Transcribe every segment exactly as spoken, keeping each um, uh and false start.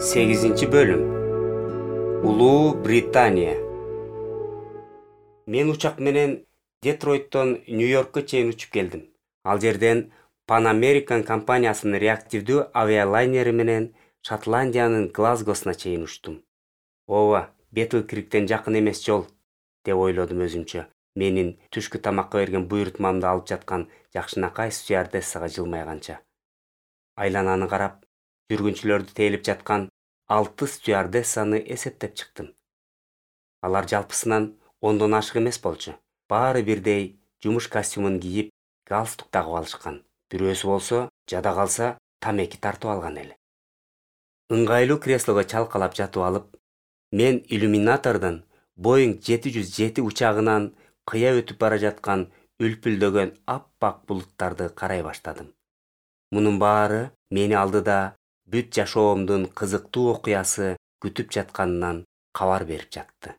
сегизинчи бөлүм. Улуу Британия. Мен учак менен Детройттон Нью-Йоркко чейин учуп келдим. Ал жерден Pan American компаниясынын реактивдүү авиалайнери менен Шотландиянын Глазгосуна чейин учтум. Ооба, Бетл Криктен жакын эмес жол, деп ойлодум өзүмчө. Менин түшкү тамакка берген буйрутмамды алып жаткан жакшынакай стюардессага жылмайганча. Айлананы карап, жүргүнчүлөрдү тейлип жаткан алты стюардессаны эсептеп чыктым. Алар жалпысынан ондон ашык эмес болчу. Баары бирдей жумуш костюмун кийип, галстук тагып алышкан. Бирөөсү болсо, жада калса, тамеки тартып алган эле. Ыңгайлуу креслого чалкалап жатып алып, мен иллюминатордон Боинг жети жүз жети учагынан кыя өтүп бара жаткан үлпүлдөгөн аппак булуттарды карай баштадым. Мунун баары мени алдыда бүт жашоомдун кызыктуу окуясы күтүп жатканынан кабар берип жатты.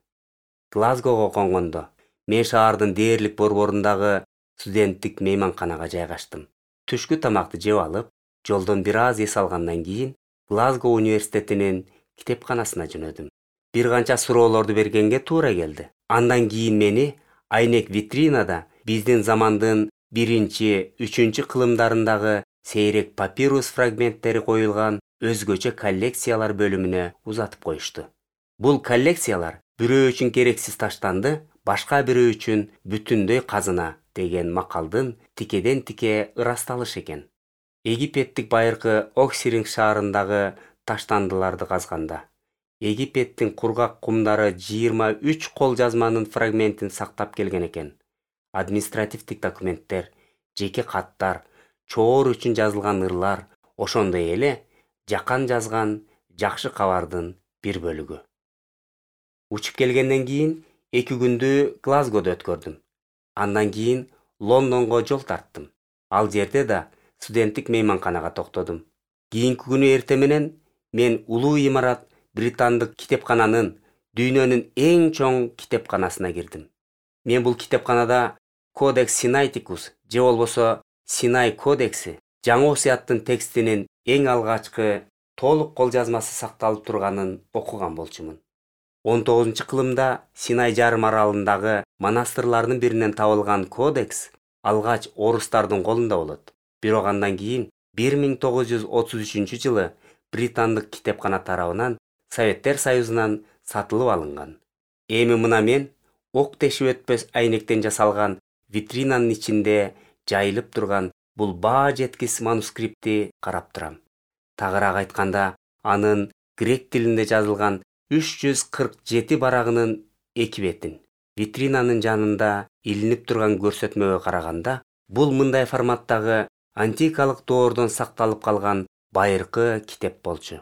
Глазгого конгондо мен шаардын дээрлик борборундагы студенттик мейманканага жайгаштым. Түшкү тамакты жеп алып, жолдон бир аз эс алгандан кийин Глазго университетинин китепканасына жөнөдүм. Бир канча суроолорду бергенге туура келди. Андан кийин мени айнек витринада биздин замандын биринчи, үчүнчү кылымдарындагы сейрек папирус фрагменттери коюлган өзгөчө коллекциялар бөлүмүнө узатып коюшту. Бул коллекциялар бирөө үчүн керексиз таштанды, башка бирөө үчүн бүтүндөй казына деген макалдын тикеден-тике ырасталышы экен. Египеттик байыркы Оксиринг шаарындагы таштандыларды казганда, Египеттин кургак кумдары жыйырма үч кол жазманын фрагментин сактап келген экен. Административдик документтер, жеке каттар, чоор үчүн жазылган ырлар, ошондой эле жакан жазган жакшы кабардын бир бөлүгү. Учуп келгенден кийин эки күндү Глазгодо өткөрдүм. Андан кийин Лондонго жол тарттым. Ал жерде да студенттик мейманканага токтодум. Кийинки күнү эртең менен мен улуу имарат британдык китепкананын дүйнөнүн эң чоң китепканасына кирдим. Мен бул китепканада Кодекс Синайтикус же болбосо Синай кодекси, жаңы осуяттын текстинин эң алгачкы толук кол жазмасы сакталып турганын окуган болчумун. он тогузунчу кылымда Синай жарым аралындагы монастырлардын биринен табылган кодекс алгач орустардын колунда болот. Бирок андан кийин бир миң тогуз жүз отуз үчүнчү жылы британдык китепкана тарабынан Советтер Союзунан сатылып алынган. Эми мына мен ок тешип өтпөс айнектен жасалган витринанын ичинде жайылып турган бул баа жеткис манускриптти карап турам. Тагыраак айтканда, анын грек тилинде жазылган үч жүз кырк жети барагынын эки бетин. Витринанын жанында илинип турган көрсөтмөгө караганда, бул мындай форматтагы антикалык доордон сакталып калган байыркы китеп болчу.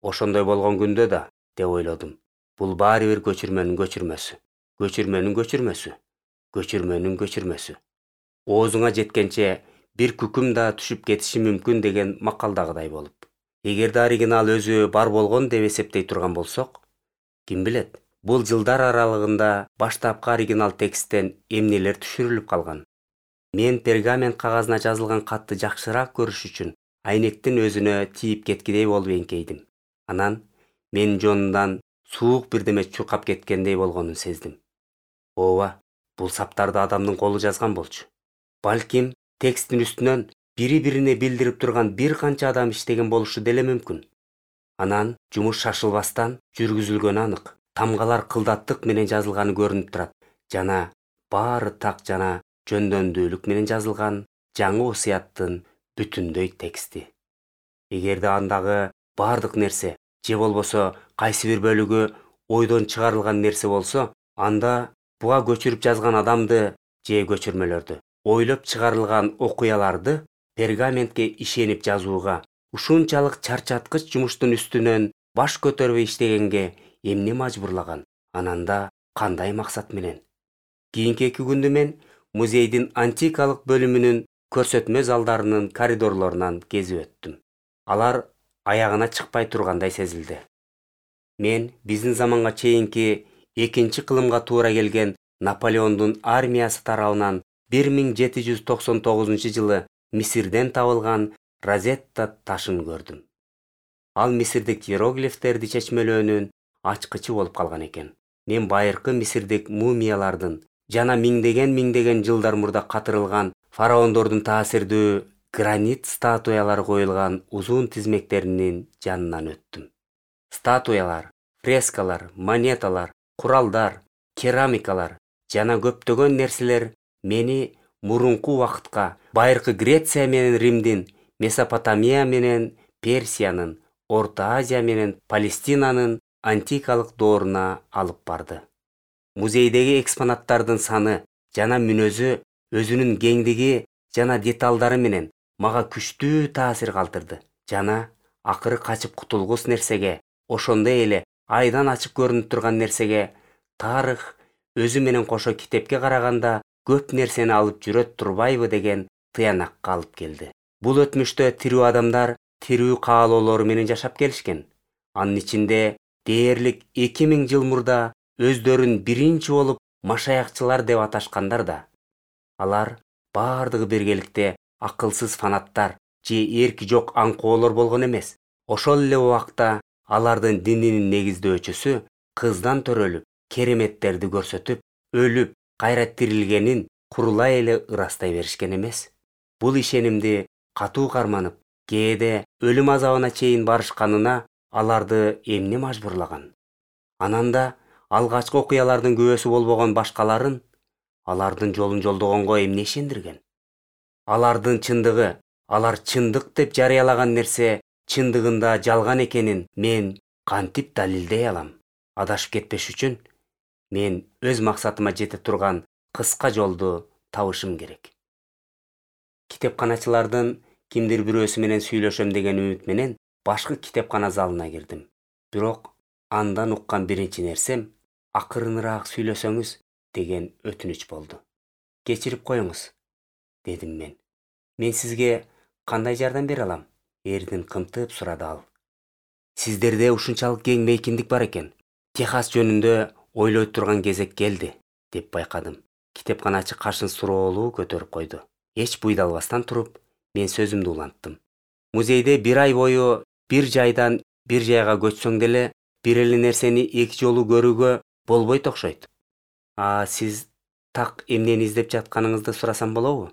Ошондой болгон күндө да, деп ойлодум, бул баары бир көчүрмөнүн көчүрмөсү, көчүрмөнүн көчүрмөсү, көчүрмөнүн көчүрмөсү. Оозуңа жеткенче бир күкүм да түшүп кетиши мүмкүн деген макалдагыдай болуп. Эгерде оригинал өзү бар болгон деп эсептей турган болсок, ким билет, бул жылдар аралыгында баштапкы оригинал тексттен эмнелер түшүрүлүп калган. Мен пергамент кагазына жазылган катты жакшыраак көрүш үчүн айнектин өзүнө тийип кеткидей болуп эңкейдим. Анан менин жонундан суук бирдеме чуркап кеткендей болгонун сездим. Ооба, бул саптарды адамдын колу жазган болчу. Балким тексттин үстүнөн бири-бирине билдирип турган бир канча адам иштеген болушу деле мүмкүн. Анан жумуш шашылбастан жүргүзүлгөнү анык. Тамгалар кылдаттык менен жазылганы көрүнүп турат. Жана баары так жана жөндөмдүүлүк менен жазылган жаңы осуяттын бүтүндөй тексти. Эгерде андагы баардык нерсе же болбосо кайсы бир бөлүгү ойдон чыгарылган нерсе болсо, анда буга көчүрүп жазган адамды же көчүрмөлөрдү, ойлоп чыгарылган окуяларды пергаментке ишенип жазууга, ушунчалык чарчаткыч жумуштун үстүнөн баш көтөрбөй иштегенге эмне мажбурлаган? Ананда кандай максат менен? Кийинки эки күндү мен музейдин антикалык бөлүмүнүн көрсөтмө залдарынын коридорлорунан кезип өттүм. Алар аягына чыкпай тургандай сезилди. Мен биздин заманга чейинки экинчи кылымга туура келген Наполеондун армиясы тарабынан бир миң жети жүз токсон тогузунчу жылы Мисирден табылган Розетта ташын көрдүм. Ал мисирдик иероглифтерди чечмелөөнүн ачкычы болуп калган экен. Мен байыркы мисирдик мумиялардын жана миңдеген миңдеген жылдар мурда катырылган фараондордун таасирдүү гранит статуялары коюлган узун тизмектеринин жанынан өттүм. Статуялар, фрескалар, монеталар, куралдар, керамикалар жана көптөгөн нерселер мени мурунку убакытка, байыркы Греция менен Римдин, Месопотамия менен Персиянын, Орто Азия менен Палестинанын антикалык дооруна алып барды. Музейдеги экспонаттардын саны жана мүнөзү өзүнүн кеңдиги жана деталдары менен мага күчтүү таасир калтырды жана акыры качып кутулгус нерсеге, ошондой эле айдан ачып көрүнүп турган нерсеге, тарых өзү менен кошо китепке караганда көп нерсени алып жүрөт турбайбы деген тыянакка алып келди. Бул өтмүштө тирүү адамдар тирүү каалоолору менен жашап келишкен. Анын ичинде дээрлик эки миң жыл мурда өздөрүн биринчи болуп машаякчылар деп аташкандар да. Алар бардыгы биргеликте акылсыз фанаттар же эрки жок аңкоолор болгон эмес. Ошол эле убакта алардын дининин негиздөөчүсү кыздан төрөлүп, кереметтерди көрсөтүп, өлүп, кайра тирилгенин курулай эле ырастай беришкен эмес. Бул ишенимди катуу карманып, кээде өлүм азабына чейин барышканына аларды эмне мажбурлаган? Анан да алгачкы окуялардын күбөсү болбогон башкаларын алардын жолун жолдогонго эмне ишендирген? Алардын чындыгы, алар чындык деп жарыялаган нерсе чындыгында жалган экенин мен кантип далилдей алам? Адашып кетпеш үчүн мен өз максатыма жете турган кыска жолду табышым керек. Китепканачылардын кимдир бирөөсү менен сүйлөшөм деген үмүт менен башкы китепкана залына кирдим. Бирок андан уккан биринчи нерсем акырыныраак сүйлөсөңүз деген өтүнүч болду. Кечирип коюңуз, дедим мен. Мен сизге кандай жардам бере алам? Эрдин кымтып сурады ал. Сиздерде ушунчалык кең мейкиндик бар экен. Техас жөнүндө ойлой турган кезек келди, деп байкадым. Китепканачы кашын суроолуу көтөрүп койду. Эч буйдалбастан туруп, мен сөзүмдү уланттым. Музейде бир ай бою бир жайдан бир жайга көчсөң деле бир эле нерсени эки жолу көрүүгө болбойт окшойт. А сиз так эмнени издеп жатканыңызды сурасам болобу?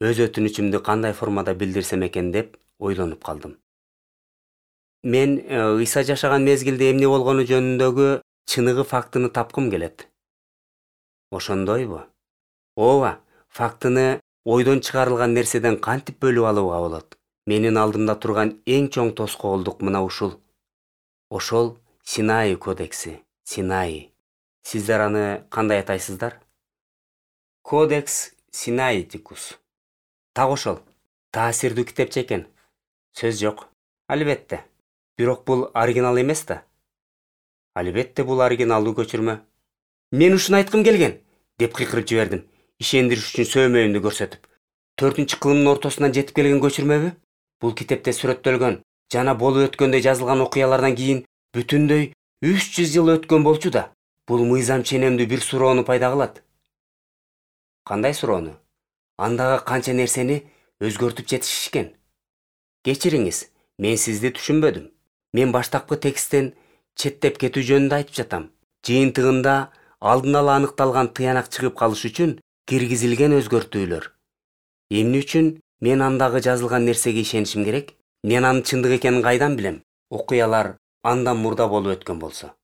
Өз өтүнүчүмдү кандай формада билдирсем экен деп ойлонуп калдым. Мен Ыйса жашаган мезгилде эмне болгону жөнүндөгү чыныгы фактыны тапкым келет. Ошондойбу? Ооба, фактыны ойдон чыгарылган нерседен кантип бөлүп алууга болот? Менин алдымда турган эң чоң тоскоолдук мына ушул. Ошол Синай кодекси, Синай. Сиздер аны кандай атайсыздар? Кодекс Синаитикус. Так ошол. Таасирдүү китепче экен. Сөз жок. Албетте. Бирок бул оригинал эмес да. Албетте бул оригиналдуу көчүрмө. Мен ушуну айткым келген, деп кыйкырып жибердим, ишендириш үчүн сөймөйүмдү көрсөтүп. Төртүнчү кылымдын ортосунан жетип келген көчүрмөбү? Бул китепте сүрөттөлгөн жана болуп өткөндө жазылган окуялардан кийин бүтүндөй үч жүз жыл өткөн болчу да. Бул мыйзам ченемдүү бир суроону пайда кылат. Кандай суроону? Андагы канча нерсени өзгөртүп жетишишкен? Кечириңиз, мен сизди түшүнбөдүм. Мен баштапкы тексттен четтеп кетүү жөнүндө айтып жатам. Жыйынтыгында алдын ала аныкталган тыянак чыгып калыш үчүн киргизилген өзгөртүүлөр. Эмне үчүн мен андагы жазылган нерсеге ишенишим керек? Мен анын чындык экенин кайдан билем? Окуялар андан мурда болуп өткөн болсо.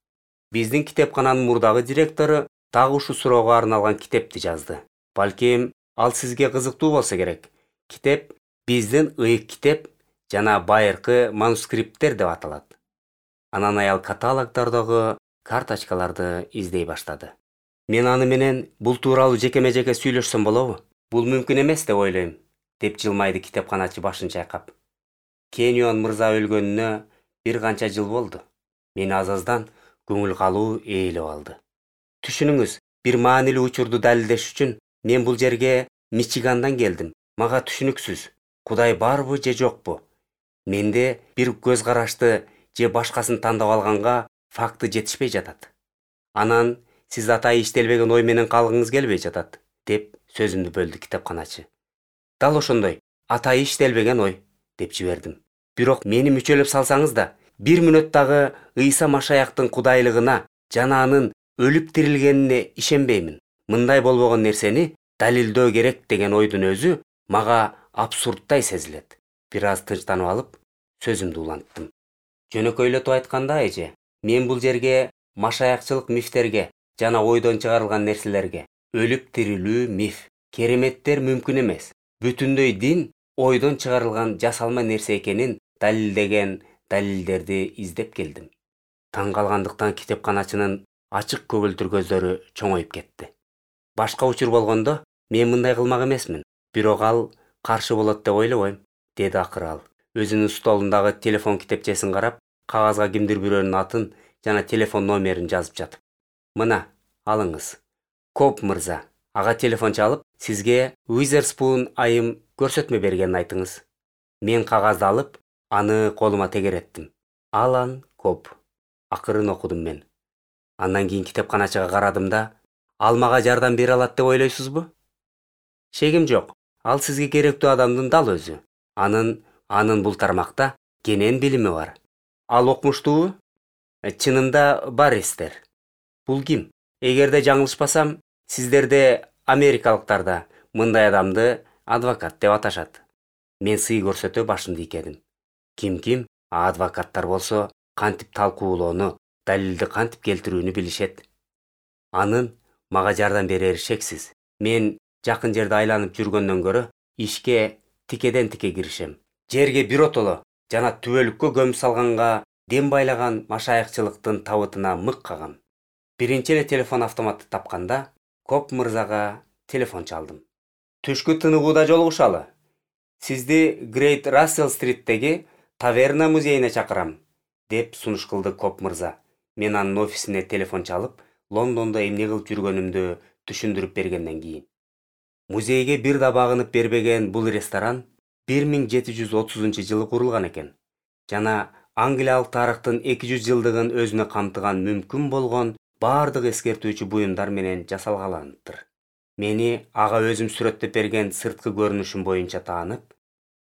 Биздин китепкананын мурдагы директору дагы ушул суроого арналган китепти жазды. Балким ал сизге кызыктуу болсо керек. Китеп биздин ыйык китеп жана байыркы манускрипттер деп аталат. Анан аял каталогдордогу карточкаларды издей баштады. Мен аны менен бул тууралуу жекеме-жеке сүйлөшсөм болобу? Бул мүмкүн эмес деп ойлойм, деп жылмайды китепканачы башын чайкап. Кенион мырза өлгөнүнө бир канча жыл болду. Мени аз-аздан көңүл калуу ээлеп алды. Түшүнүңүз, бир маанилүү учурду далилдеш үчүн мен бул жерге Мичигандан келдим. Мага түшүнүксүз, Кудай барбы же жокпу? Менде бир көз карашты же башкасын тандап алганга факты жетишпей жатат. Анан сиз атайы иштелбеген ой менен калгыңыз келбей жатат, деп сөзүмдү бөлдү китепканачы. Дал ошондой, атайы иштелбеген ой, деп жибердим. Бирок мени мүчөлөп салсаңыз да, бир мүнөттагы Ыйса Машаяктын кудайлыгына жана анын өлүп тирилгенине ишенбеймин. Мындай болбогон нерсени далилдөө керек деген ойдун өзү мага абсурдтай сезилет. Бир аз тынчтанып алып, сөзүмдү уланттым. Жөнөкөйлөтүп айтканда, эже, мен бул жерге машаякчылык мифтерге жана ойдон чыгарылган нерселерге, өлүп тирилүү миф, кереметтер мүмкүн эмес, бүтүндөй дин ойдон чыгарылган жасалма нерсе экенин далилдеген далилдерди издеп келдим. Таң калгандыктан китепканачынын ачык көгүлтүр көздөрү чоңоюп кетти. Башка учур болгондо мен мындай кылмак эмесмин, бирок ал каршы болот деп ойлобойм, деди акыры ал. Өзүнүн столундагы телефон китепчесин карап, кагазга кимдир бирөөнүн атын жана телефон номерин жазып жатып. Мына, алыңыз. Коп мырза, ага телефон чалып, сизге Уизерспун айым көрсөтмө бергенин айтыңыз. Мен кагазды алып, аны колума тегереттим. Алан Коп. Акырын окудум мен. Андан кийин китепканачыга карадым да, ал мага жардам бере алат деп ойлойсузбу? Шегим жок. Ал сизге керектүү адамдын дал өзү. Анын анын бул тармакта кенен билими бар. Ал окумуштуубу? Чынында бар эстер. Бул ким? Эгерде жаңылышпасам, сиздерде америкалыктарда мындай адамды адвокат деп аташат. Мен сый көрсөтө башымды ийкедим. Ким-ким, а адвокаттар болсо кантип талкуулоону, далилди кантип келтирүүнү билишет. Анын мага жардам берери шексиз. Мен жакын жерде айланып жүргөндөн көрө ишке тикеден тике киришем. Жерге биротоло жана түбөлүккө көмүп салганга дем байлаган машаякчылыктын табытына мык кагам. Биринчи эле телефон автоматты тапканда, Коп мырзага телефон чалдым. Түшкү тыныгууда жолугушалы. Сизди Грейт Рассел стриттеги таверна музейине чакырам, деп сунуш кылды Коп мырза. Мен анын офисине телефон чалып, Лондондо эмне кылып жүргөнүмдү түшүндүрүп бергенден кийин. Музейге бир да багынып бербеген бул ресторан бир миң жети жүз отузунчу жылы курулган экен. Жана англиялык тарыхтын эки жүз жылдыгын өзүнө камтыган мүмкүн болгон бардык эскертүүчү буюмдар менен жасалгаланыптыр. Мени ага өзүм сүрөттөп берген сырткы көрүнүшүм боюнча таанып,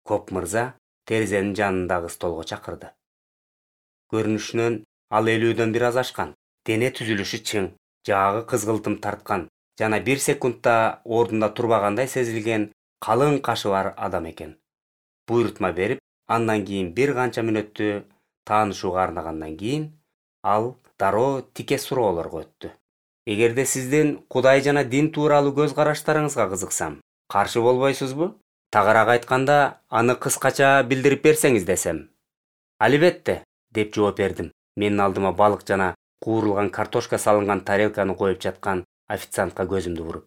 Коп мырза терезенин жанындагы столго чакырды. Көрүнүшүнөн ал элүүдөн бир аз ашкан, дене түзүлүшү чың, жаагы кызгылтым тарткан жана бир секундта ордунда турбагандай сезилген калың кашы бар адам экен. Буйрутма берип, андан кийин бир канча мүнөттү таанышууга арнагандан кийин, ал дароо тике суроолорго өттү. Эгерде сиздин Кудай жана дин тууралуу көз караштарыңызга кызыксам, каршы болбойсузбу? Тагыраак айтканда, аны кыскача билдирип берсеңиз десем. Албетте, деп жооп бердим. Менин алдыма балык жана куурулган картошка салынган тарелканы коюп жаткан официантка көзүмдү буруп.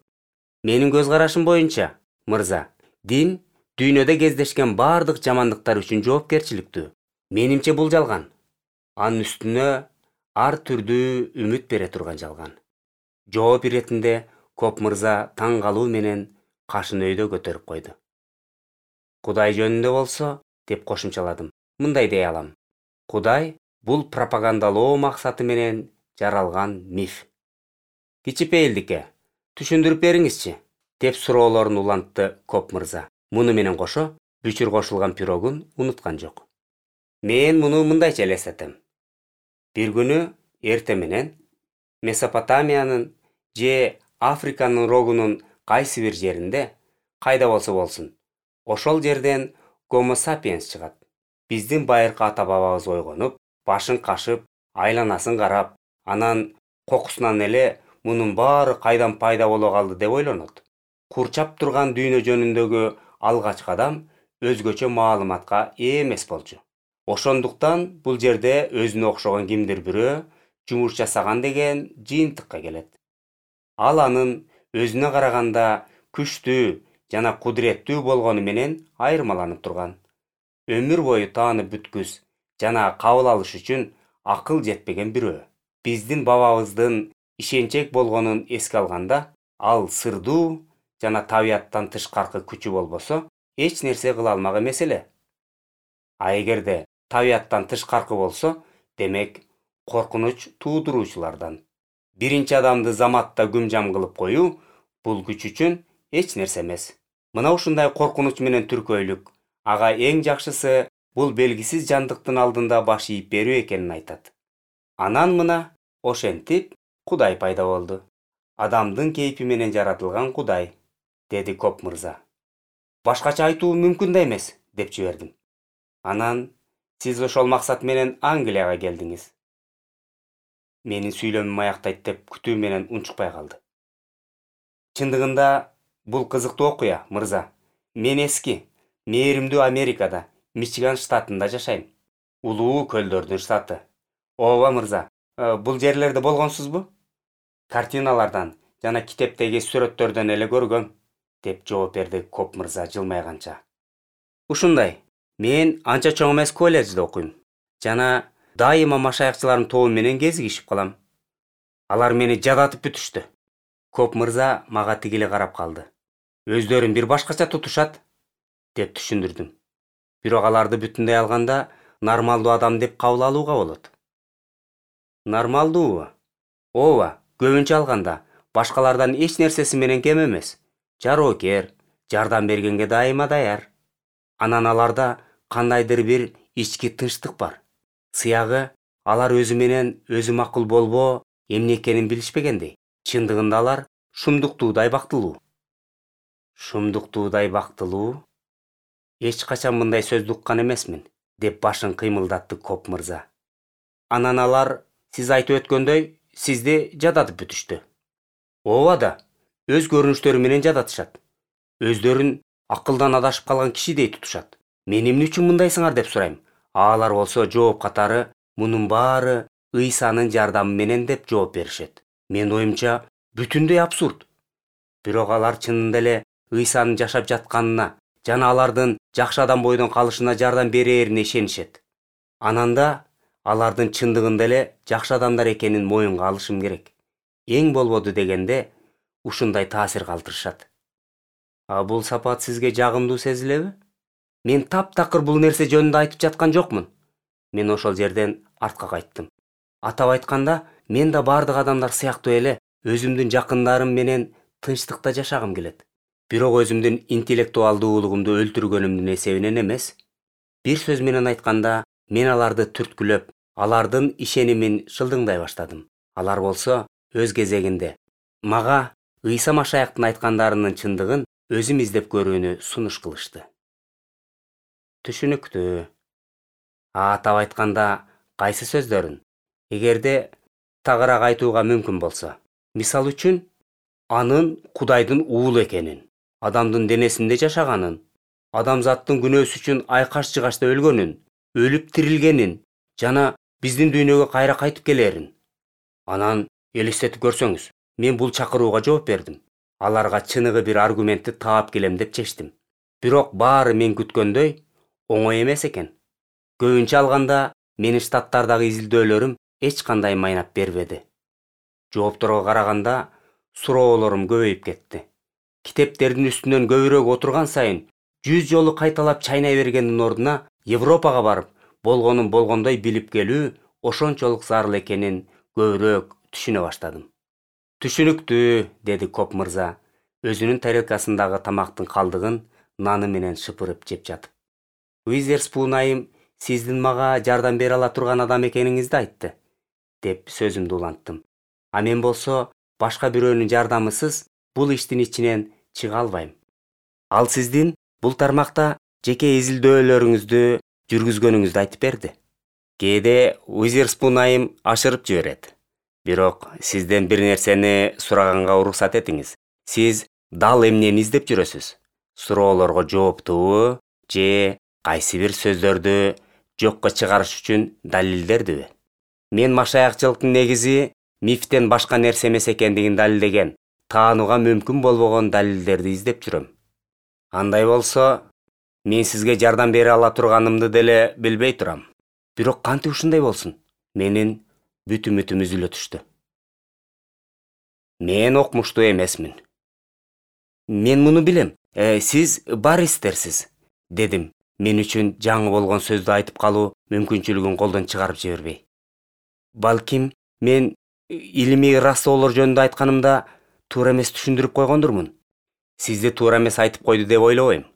Менин көз карашым боюнча, мырза, дин дүйнөдө кездешкен бардык жамандыктар үчүн жоопкерчиликтүү. Менимче бул жалган. Анын үстүнө ар түрдүү үмүт бере турган жалган. Жооп иретинде Коп мырза таң калуу менен кашын өйдө көтөрүп койду. Кудай жөнүндө болсо, деп кошумчаладым, мындай дей алам. Кудай бул пропагандалоо максаты менен жаралган миф. Кичипейилдикке, түшүндүрүп бериңизчи, деп суроолорун улантты Коп мырза. Муну менен кошо, бүчүр кошулган пирогун унуткан жок. Мен муну мындайча элестетем. Бир күнү эрте менен Месопотамиянын же Африканын рогунун кайсы бир жеринде, кайда болсо болсун, ошол жерден Гомо сапиенс чыгат. Биздин байыркы ата-бабабыз ойгонуп, башын кашып, айланасын карап, анан кокусунан эле мунун баары кайдан пайда боло калды деп ойлонот. Курчап турган дүйнө жөнүндөгү алгачкы адам өзгөчө маалыматка ээ эмес болчу. Ошондуктан бул жерде өзүнө окшогон кимдир бирөө жумуш жасаган деген жыйынтыкка келет. Ал анын өзүнө караганда күчтүү жана кудуреттүү болгону менен айырмаланып турган. Өмүр бою таанып бүткүс жана кабыл алыш үчүн акыл жетпеген бирөө. Биздин бабабыздын ишенчек болгонун эске алганда, ал сырдуу жана табияттан тышкаркы күчү болбосо, эч нерсе кыла алмак эмес эле. А эгерде табияттан тышкаркы болсо, демек коркунуч туудуруучулардан. Биринчи адамды заматта күмжам кылып коюу бул күч үчүн эч нерсе эмес. Мына ушундай коркунуч менен түркөйлүк. Ага эң жакшысы бул белгисиз жандыктын алдында баш ийип берүү экенин айтат. Анан мына ошентип Кудай пайда болду. Адамдын кейпи менен жаратылган Кудай, деди Коп мырза. Башкача айтуу мүмкүн да эмес, деп жибердим. Анан сиз ошол максат менен Англияга келдиңиз. Менин сүйлөмүм аяктайт деп күтүү менен унчукпай калды. Чындыгында бул кызыктуу окуя, мырза. Мен эски, мээримдүү Америкада, Мичиган штатында жашайм. Улуу көлдөрдүн штаты. Ооба, мырза. Бул жерлерде болгонсузбу? Картиналардан жана китептеги сүрөттөрдөн эле көргөм, деп жооп берди Коп мырза жылмайганча. Ушундай. Мен анча чоң эмес колледжде окуйм. Жана дайыма машаякчыларым тобу менен кезигишип калам. Алар мени жадатып бүтүштү. Коп мырза мага тигиле карап калды. Өздөрүн бир башкача тутушат, деп түшүндүрдүм. Бирок аларды бүтүндөй алганда нормалдуу адам деп кабыл алууга болот. Нормалдуубу? Ооба, көбүнчө алганда башкалардан эч нерсеси менен кем эмес. Жароокер, жардам бергенге дайыма даяр. Анан аларда кандайдыр бир ички тынчтык бар. Сыягы алар өзү менен өзү макул болбоо эмне экенин билишпегендей. Чындыгында алар шумдуктуудай бактылуу. Шумдуктуудай бактылуу? Эч качан мындай сөздү уккан эмесмин, деп башын кыймылдатты Коп мырза. Анан алар сиз айтып өткөндөй сизди жадатып бүтүштү. Ооба да, өз көрүнүштөрү менен жадатышат. Өздөрүн акылдан адашып калган кишидей тутушат. Мен эмне үчүн мындайсыңар деп сурайм. Алар болсо жооп катары мунун баары Ыйсанын жардамы менен деп жооп беришет. Мен оюмча бүтүндөй абсурд. Бирок алар чынында эле Ыйсанын жашап жатканына жана алардын жакшы адам бойдон калышына жардам берээрине ишенишет. Ананда алардын чындыгында эле жакшы адамдар экенин моюнга алышым керек. Эң болбоду дегенде ушундай таасир калтырышат. А бул сапат сизге жагымдуу сезилеби? Мен таптакыр бул нерсе жөнүндө айтып жаткан жокмун. Мен ошол жерден артка кайттым. Атап айтканда, мен да бардык адамдар сыяктуу эле өзүмдүн жакындарым менен тынчтыкта жашагым келет. Бирок өзүмдүн интеллектуалдуулугумду өлтүргөнүмдүн эсебинен эмес. Бир сөз менен айтканда, мен аларды түрткүлөп, алардын ишенимин шылдыңдай баштадым. Алар болсо өз кезегинде мага Ыйса Машаяктын айткандарынын чындыгын өзүм издеп көрүүнү сунуш кылышты. Түшүнүктүү. Атап айтканда, кайсы сөздөрүн? Эгерде тагыраак айтууга мүмкүн болсо. Мисал үчүн, анын Кудайдын уулу экенин, адамдын денесинде жашаганын, адамзаттын күнөөсү үчүн айкаш-жыгашта өлгөнүн, өлүп тирилгенин жана биздин дүйнөгө кайра кайтып келерин. Анан элестетип көрсөңүз, мен бул чакырууга жооп бердим. Аларга чыныгы бир аргументти таап келем деп чечтим. Бирок баары мен күткөндөй оңой эмес экен. Көбүнчө алганда менин штаттардагы изилдөөлөрүм эч кандай майнап бербеди. Жоопторго караганда суроолорум көбөйүп кетти. Китептердин үстүнөн көбүрөөк отурган сайын жүз жолу кайталап чайнай бергендин ордуна Европага барып, болгонун болгондой билип келүү ошончолук зарыл экенин көбүрөөк түшүнө баштадым. Түшүнүктүү, деди Коп мырза, өзүнүн тарелкасындагы тамактын калдыгын наны менен шыпырып жеп жатып. Уизерспун айым сиздин мага жардам бере ала турган адам экениңизди айтты, деп сөзүмдү уланттым. А мен болсо башка бирөөнүн жардамысыз бул иштин ичинен чыга албайм. Ал сиздин бул тармакта жеке изилдөөлөрүңүздү жүргүзгөнүңүздү айтып берди. Кээде Уизерспун айым ашырып жиберет. Бирок сизден бир нерсени сураганга уруксат этиңиз. Сиз дал эмнени издеп жүрөсүз? Суроолорго жооптубу же кайсы бир сөздөрдү жокко чыгарыш үчүн далилдердиби? Мен машаякчылыктын негизи мифтен башка нерсе эмес экендигин далилдеген, таанууга мүмкүн болбогон далилдерди издеп жүрөм. Андай болсо, мен сизге жардам бере ала турганымды деле билбей турам. Бирок кантип ушундай болсун? Менин бүт үмүтүм үзүлө түштү. Мен окмуштуу эмесмин. Мен муну билем. Э, сиз баристерсиз, дедим. Мен үчүн жаңы болгон сөздү айтып калуу мүмкүнчүлүгүн колдон чыгарып жибербей. Балким, мен илимий растоолор жөнүндө айтканымда туура эмес түшүндүрүп койгондурмун. Сизди туура эмес айтып койду деп ойлобойм.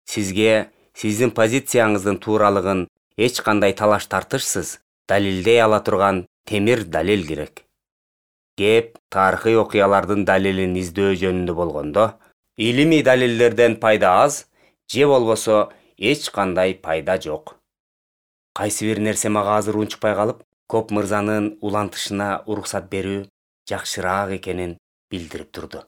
Сизге сиздин позицияңыздын тууралыгын эч кандай талаш тартышсыз далилдей ала турган темир далил керек. Кеп тарыхый окуялардын далилин издөө жөнүндө болгондо, илимий далилдерден пайда аз, же болбосо эч кандай пайда жок. Кайсы бир нерсе мага азыр унчукпай калып, Коп мырзанын улантышына уруксат берүү жакшыраак экенин билдирип турду.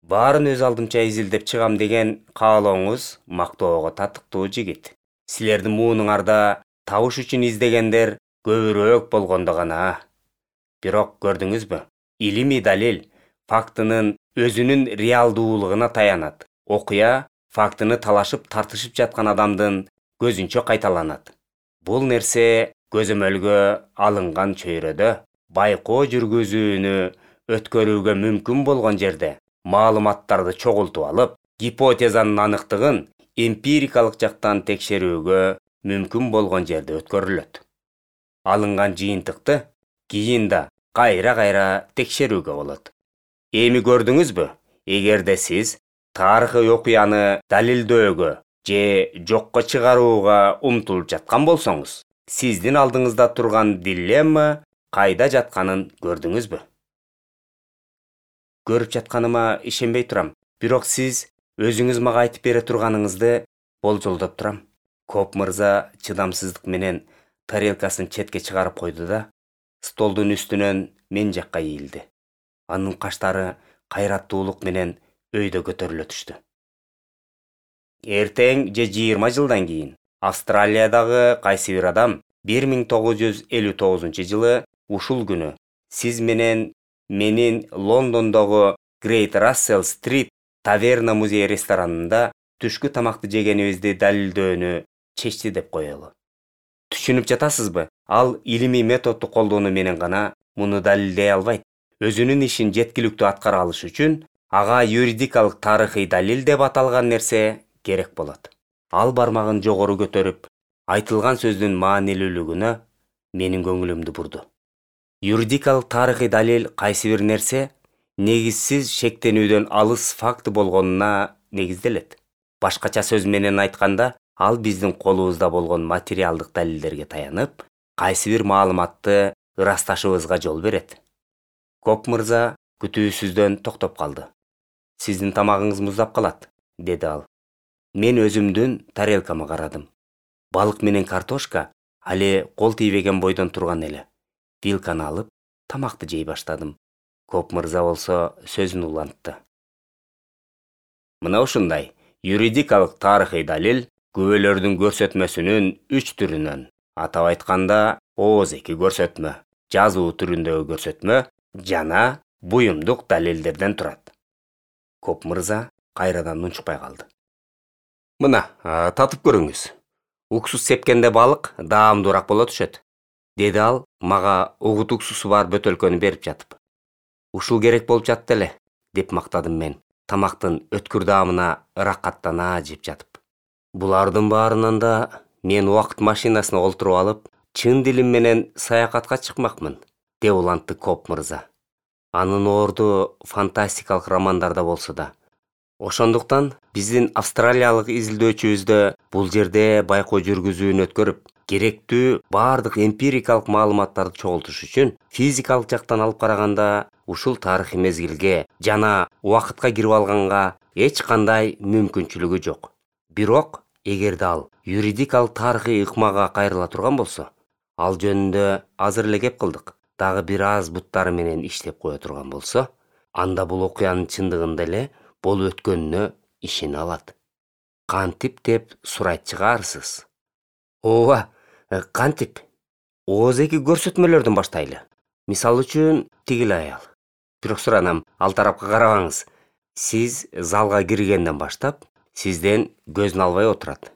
Баарын өз алдымча изилдеп чыгам деген каалооңуз мактоого татыктуу жигит. Силердин муунуңарда табыш үчүн издегендер көбүрөөк болгондо гана. Бирок көрдүңүзбү? Илимий далил фактынын өзүнүн реалдуулугуна таянат. Окуя фактыны талашып тартышып жаткан адамдын көзүнчө кайталанат. Бул нерсе көзөмөлгө алынган чөйрөдө байкоо жүргүзүүнү өткөрүүгө мүмкүн болгон жерде маалыматтарды чогултуп алып, гипотезанын аныктыгын эмпирикалык жактан текшерүүгө мүмкүн болгон жерде өткөрүлөт. Алынган жыйынтыкты кийин да кайра-кайра текшерүүгө болот. Эми көрдүңүзбү? Эгерде сиз тарыхый окуяны далилдөөгө же жокко чыгарууга умтулуп жаткан болсоңуз, сиздин алдыңызда турган дилемма кайда жатканын көрдүңүзбү? Көрүп жатканыма ишенбей турам, бирок сиз өзүңүз мага айтып бере турганыңызды болжолдоп турам. Коп мырза чыдамсыздык менен тарелкасын четке чыгарып койду да, столдун үстүнөн мен жакка ийилди. Анын каштары кайраттуулук менен өйдө көтөрүлө түштү. Эртең же жыйырма жылдан кийин Австралиядагы кайсы бир адам бир миң тогуз жүз элүү тогузунчу жылы ушул күнү сиз менен менин Лондондогу Great Russell Street таверна музей ресторанында түшкү тамакты жегенибизди далилдөөнү чечти деп коелу. Түшүнүп жатасызбы? Ал илимий методду колдонуу менен гана муну далилдей албайт. Өзүнүн ишин жеткиликтүү аткара алыш үчүн ага юридикалык тарыхый далил деп аталган нерсе керек болот. Ал бармагын жогору көтөрүп, айтылган сөздүн маанилүүлүгүнө менин көңүлүмдү бурду. Юридикалык тарыхый далил кайсы бир нерсе негизсиз шектенүүдөн алыс факты болгонуна негизделет. Башкача сөз менен айтканда, ал биздин колубузда болгон материалдык далилдерге таянып, кайсы бир маалыматты ырасташыбызга жол берет. Коп мырза күтүүсүздөн токтоп калды. Сиздин тамагыңыз муздап калат, деди ал. Мен өзүмдүн тарелкама карадым. Балык менен картошка али кол тийбеген бойдон турган эле. Вилканы алып, тамакты жей баштадым. Коп мырза болсо сөзүн улантты. Мына ушундай юридикалык тарыхый далил күбөлөрдүн көрсөтмөсүнүн үч түрүнөн, атап айтканда ооз-эки көрсөтмө, жазуу түрүндөгү көрсөтмө жана буюмдук далилдерден турат. Коп мырза кайрадан унчукпай калды. Мына, татып көрүңүз. Уксус сепкенде балык даамдуураак боло түшөт, деди ал мага угут уксусу бар бөтөлкөнү берип жатып. Ушул керек болуп жатты эле, деп мактадым мен, тамактын өткүр даамына ыракаттана жеп жатып. Булардын баарынан да мен убакыт машинасына олтуруп алып, чын дилим менен саякатка чыкмакмын, деп улантты Коп мырза. Анын орду фантастикалык романдарда болсо да. Ошондуктан биздин австралиялык изилдөөчүбүздө бул жерде байкоо жүргүзүүнү өткөрүп, керектүү баардык эмпирикалык маалыматтарды чогултуш үчүн физикалык жактан алып караганда ушул тарыхый мезгилге жана убакытка кирип алганга эч кандай мүмкүнчүлүгү жок. Бирок эгерде ал юридикалык тарыхый ыкмага кайрыла турган болсо, ал жөнүндө азыр эле кеп кылдык. Дагы бир аз буттары менен иштеп кое турган болсо, анда бул окуянын чындыгында эле болуп өткөнүнө ишене алат. Кантип деп сурайт чыгарсыз. Ооба, кантип? ооз-эки көрсөтмөлөрдөн баштайлы. Мисалы үчүн, тигил аял. Бирок суранам, ал тарапка карабаңыз. Сиз залга киргенден баштап, сизден көзүн албай отурат.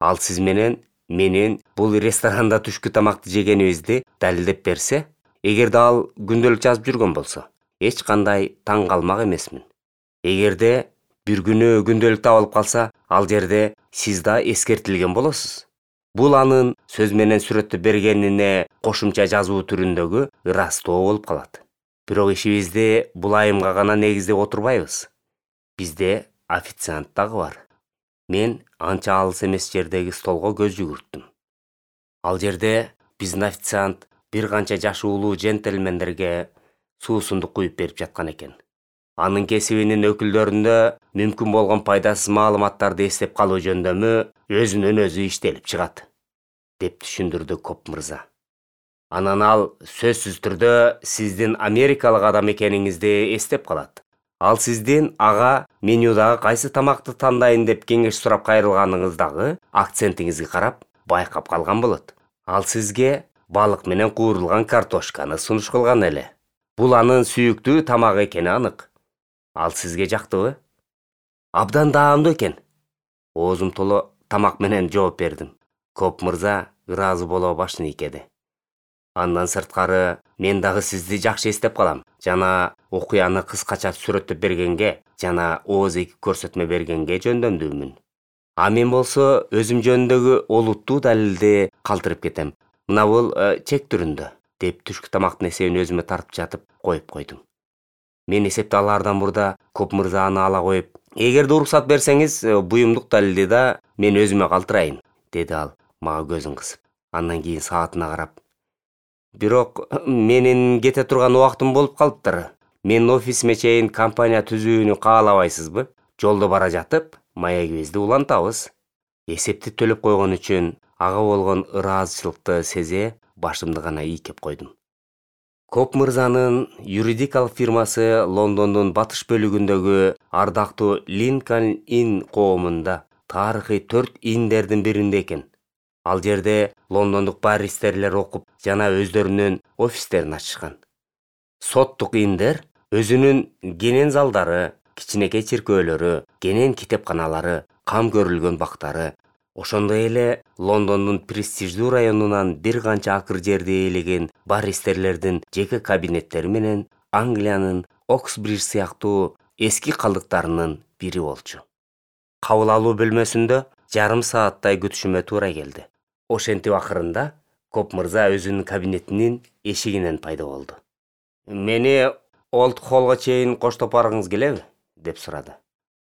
Ал сиз менен менин бул ресторанда түшкү тамакты жегенибизди далилдеп берсе, эгерде ал күндөлүк жазып жүргөн болсо, эч кандай таң калмак эмесмин. Эгерде бир күнү күндөлүк табылып калса, ал жерде сиз да эскертилген болосуз. Бул анын сөз менен сүрөттөп бергенине кошумча жазуу түрүндөгү ырастоо болуп калат. Бирок ишибизди бул айымга гана негиздеп отурбайбыз. Бизде официант дагы бар. Мен анча алыс эмес жердеги столго көз жүгүрттүм. Ал жерде биздин официант бир канча жашы улуу джентльмендерге суусундук куюп берип жаткан экен. Анын кесибинин өкүлдөрүндө мүмкүн болгон пайдасыз маалыматтарды эстеп калуу жөндөмү өзүнөн өзү иштелип чыгат, деп түшүндүрдү Коп мырза. Анан ал сөзсүз түрдө сиздин америкалык адам экениңизди эстеп калат. Ал сиздин ага менюдагы кайсы тамакты тандайын деп кеңеш сурап кайрылганыңыздагы акцентиңизге карап байкап калган болот. Ал сизге балык менен куурулган картошканы сунуш кылган эле. Бул анын сүйүктүү тамагы экени анык. Ал сизге жактыбы? Абдан даамдуу экен. Оозум толо тамак менен жооп бердим. Коп мырза ыраазы боло башын ийкеди. Андан сырткары мен дагы сизди жакшы эстеп калам жана окуяны кыскача сүрөттөп бергенге жана ооз эки көрсөтмө бергенге жөндөмдүүмүн. А мен болсо өзүм жөнүндөгү олуттуу далилди калтырып кетем. Мына бул чек түрүндө, деп түшкү тамактын эсебин өзүмө тартып жатып коюп койдум. Мен эсепти алаардан мурда Коп мырза аны ала коюп, эгерде уруксат берсеңиз, буюмдук далилди да мен өзүмө калтырайын, деди ал мага көзүн кысып. Андан кийин саатына карап, бирок менин кете турган убактым болуп калыптыр. Менин офисиме чейин компания түзүүнү каалабайсызбы? Жолдо бара жатып, маегибизди улантабыз. Эсепти төлөп койгон үчүн ага болгон ыраазычылыкты сезе, башымды гана ийкеп койдум. Коп мырзанын юридикалык фирмасы Лондондун батыш бөлүгүндөгү ардактуу Линкольн Inn коомунда, тарыхый төрт индердин биринде экен. Ал жерде лондондук баристерлер окуп жана өздөрүнүн офистерин ачышкан. Соттук индер өзүнүн кенен залдары, кичинекей чиркөөлөрү, кенен китепканалары, кам көрүлгөн бактары, ошондой эле Лондондун престиждүү районунан бир канча акыр жерди ээлеген баристерлердин жеке кабинеттери менен Англиянын Оксбридж сыяктуу эски калдыктарынын бири болчу. Кабыл алуу бөлмөсүндө жарым сааттай күтүшүмө туура келди. Ошентип акырында Коп мырза өзүнүн кабинетинин эшигинен пайда болду. Мени Олд Холлго чейин коштоп баргыңыз келеби? Деп сурады.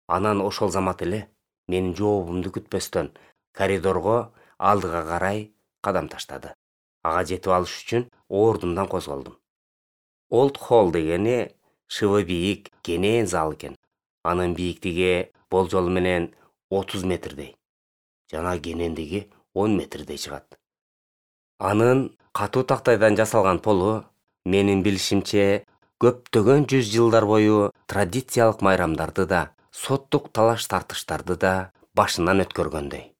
Анан ошол замат эле менин жообумду күтпөстөн коридорго алдыга карай кадам таштады. Ага жетип алыш үчүн ордумдан козголдум. Олд Холл дегени шыбы бийик, кенен зал экен. Анын бийиктиги болжол менен отуз метрдей, жана кенендиги он метрдей чыгат. Анын катуу тактайдан жасалган полу, менин билишимче, көптөгөн жүз жылдар бою традициялык майрамдарды да, соттук талаш-тартыштарды да башынан өткөргөндөй.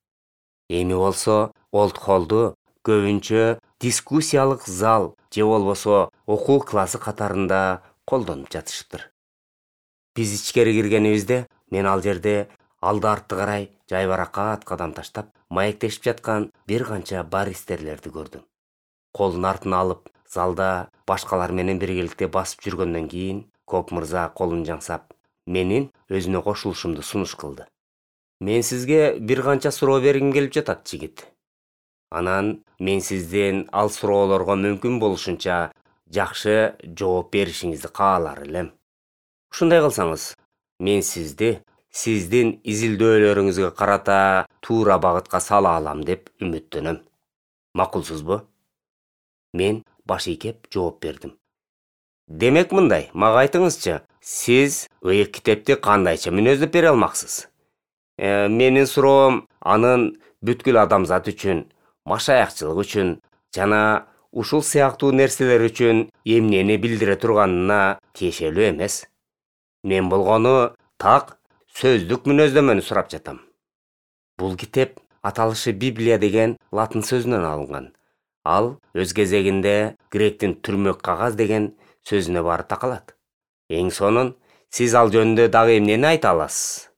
Эми болсо Олд Холлду көбүнчө дискуссиялык зал же болбосо окуу классы катарында колдонуп жатышыптыр. Биз ичкери киргенибизде мен ал жерде алды-артты карай жайбаракат кадам таштап, маектешип жаткан бир канча баристерлерди көрдүм. Колун артына алып, залда башкалар менен биргеликте басып жүргөндөн кийин Коп мырза колун жаңсап, менин өзүнө кошулушумду сунуш кылды. Мен сизге бир канча суроо бергим келип жатат, жигит. Анан мен сиздин ал суроолорго мүмкүн болушунча жакшы жооп беришиңизди каалар элем. Ушундай кылсаңыз, мен сизди сиздин изилдөөлөрүңүзгө карата туура багытка сала алам деп үмүттөнөм. Макулсузбу? Мен баш ийкеп жооп бердим. Демек мындай, мага айтыңызчы, сиз ыйык китепти кандайча мүнөздөп бере алмаксыз? Э, менин суроом анын бүткүл адамзат үчүн, машаякчылык үчүн жана ушул сыяктуу нерселер үчүн эмнени билдире турганына тиешелүү эмес. Мен болгону так сөздүк мүнөздөмөнү сурап жатам. Бул китеп аталышы Библия деген латын сөзүнөн алынган. Ал өз кезегинде гректин түрмөк кагаз деген сөзүнө баары такалат. Эң сонун, сиз ал жөнүндө дагы эмнени айта аласыз?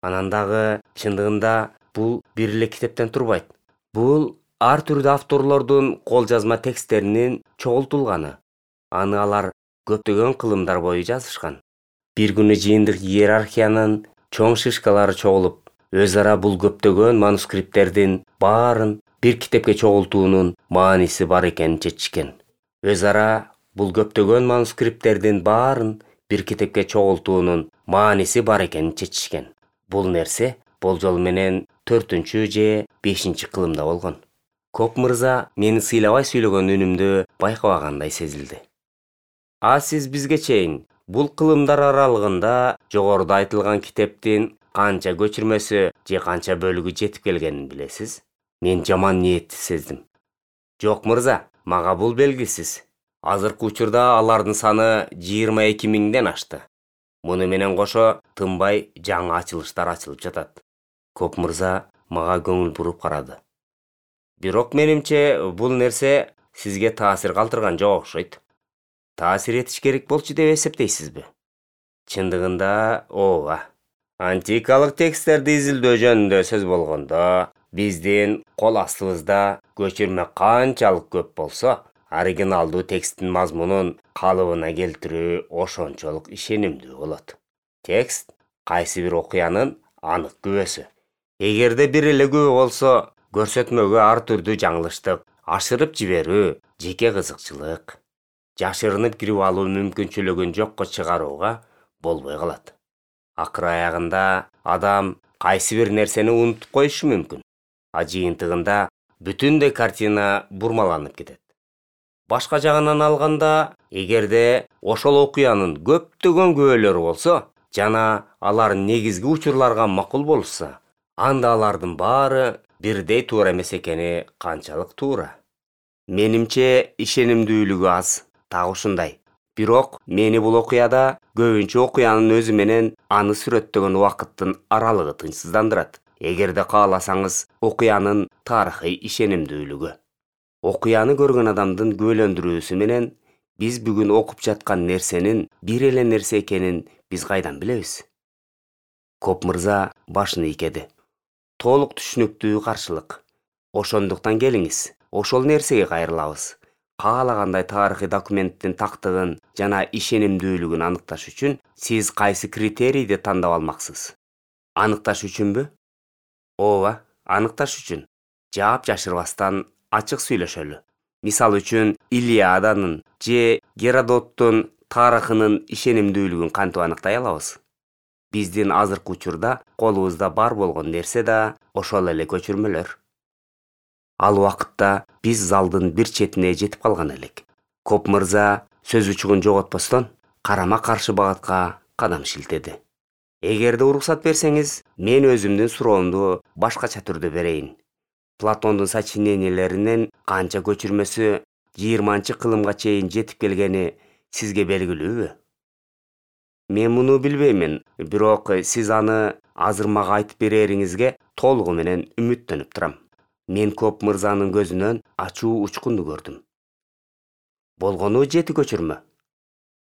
Анан дагы чындыгында бул бир эле китептен турбайт. Бул ар түрдүү авторлордун кол жазма тексттеринин чогултулганы. Аны алар көптөгөн кылымдар бою жазышкан. Бир күнү жыйындык иерархиянын чоң шишкалары чогулуп, өз ара бул көптөгөн манускрипттердин баарын бир китепке чогултуунун мааниси бар экенин чечишкен. Өз ара бул көптөгөн манускрипттердин баарын бир китепке чогултуунун мааниси бар экенин чечишкен. Бул нерсе болжол менен төртүнчү же бешинчи кылымда болгон. Коп мырза мени сыйлабай сүйлөгөн үнүмдү байкабагандай сезилди. А сиз бизге чейин бул кылымдар аралыгында жогоруда айтылган китептин канча көчүрмөсү же канча бөлүгү жетип келгенин билесиз? Мен жаман ниетти сездим. Жок мырза, мага бул белгисиз. Азыркы учурда алардын саны жыйырма эки миңден ашты. Муну менен кошо тынбай жаңы ачылыштар ачылып жатат. Коп мырза мага көңүл буруп карады. Бирок менимче бул нерсе сизге таасир калтырган жок окшойт. Таасир этиш керек болчу деп эсептейсизби? Чындыгында ооба. Антикалык тексттерди изилдөө жөнүндө сөз болгондо, биздин кол астыбызда көчүрмө канчалык көп болсо, оригиналдуу тексттин мазмунун калыбына келтирүү ошончолук ишенимдүү болот. Текст кайсы бир окуянын анык күбөсү. Эгерде бир эле күбө болсо, көрсөтмөгө ар түрдүү жаңылыштык, ашырып жиберүү, жеке кызыкчылык, жашырынып кирип алуу мүмкүнчүлүгүн жокко чыгарууга болбой калат. Акыр аягында адам кайсы бир нерсени унутуп коюшу мүмкүн. А жыйынтыгында бүтүндөй картина бурмаланып кетет. Башка жагынан алганда, эгерде ошол окуянын көптөгөн күбөлөрү болсо, жана алар негизги учурларга макул болушса, анда алардын баары бирдей туура эмес экени канчалык туура. Менимче ишенимдүүлүгү аз, так ушундай. Бирок мени бул окуяда көбүнчө окуянын өзү менен аны сүрөттөгөн убакыттын аралыгы тынчсыздандырат. Эгерде кааласаңыз, окуянын тарыхый ишенимдүүлүгү. Окуяны көргөн адамдын күбөлөндүрүүсү менен биз бүгүн окуп жаткан нерсенин бир эле нерсе экенин биз кайдан билебиз? Коп мырза башын ийкеди. Толук түшүнүктүү каршылык. Ошондуктан келиңиз, ошол нерсеге кайрылабыз. Каалагандай тарыхый документтин тактыгын жана ишенимдүүлүгүн аныкташ үчүн сиз кайсы критерийди тандап алмаксыз? Аныкташ үчүнбү? Ооба, аныкташ үчүн. Жаап жашырбастан ачык сүйлөшөлү. Мисал үчүн, Илиаданын же Геродоттун тарыхынын ишенимдүүлүгүн кантип аныктай алабыз? Биздин азыркы учурда колубузда бар болгон нерсе да ошол эле көчүрмөлөр. Ал убакытта биз залдын бир четине жетип калган элек. Коп мырза сөз учугун жоготпостон карама каршы багатка кадам шилтеди. Эгерде уруксат берсеңиз, мен өзүмдүн суроомду башкача түрдө берейин. Платондун сочинениялеринин канча көчүрмөсү жыйырманчы кылымга чейин жетип келгени сизге белгилүүбү? Мен муну билбеймин, бирок сиз аны азыр мага айтып берериңизге толугу менен үмүттөнүп турам. Мен Коп мырзанын көзүнөн ачуу учкунду көрдүм. Болгону жети көчүрмө.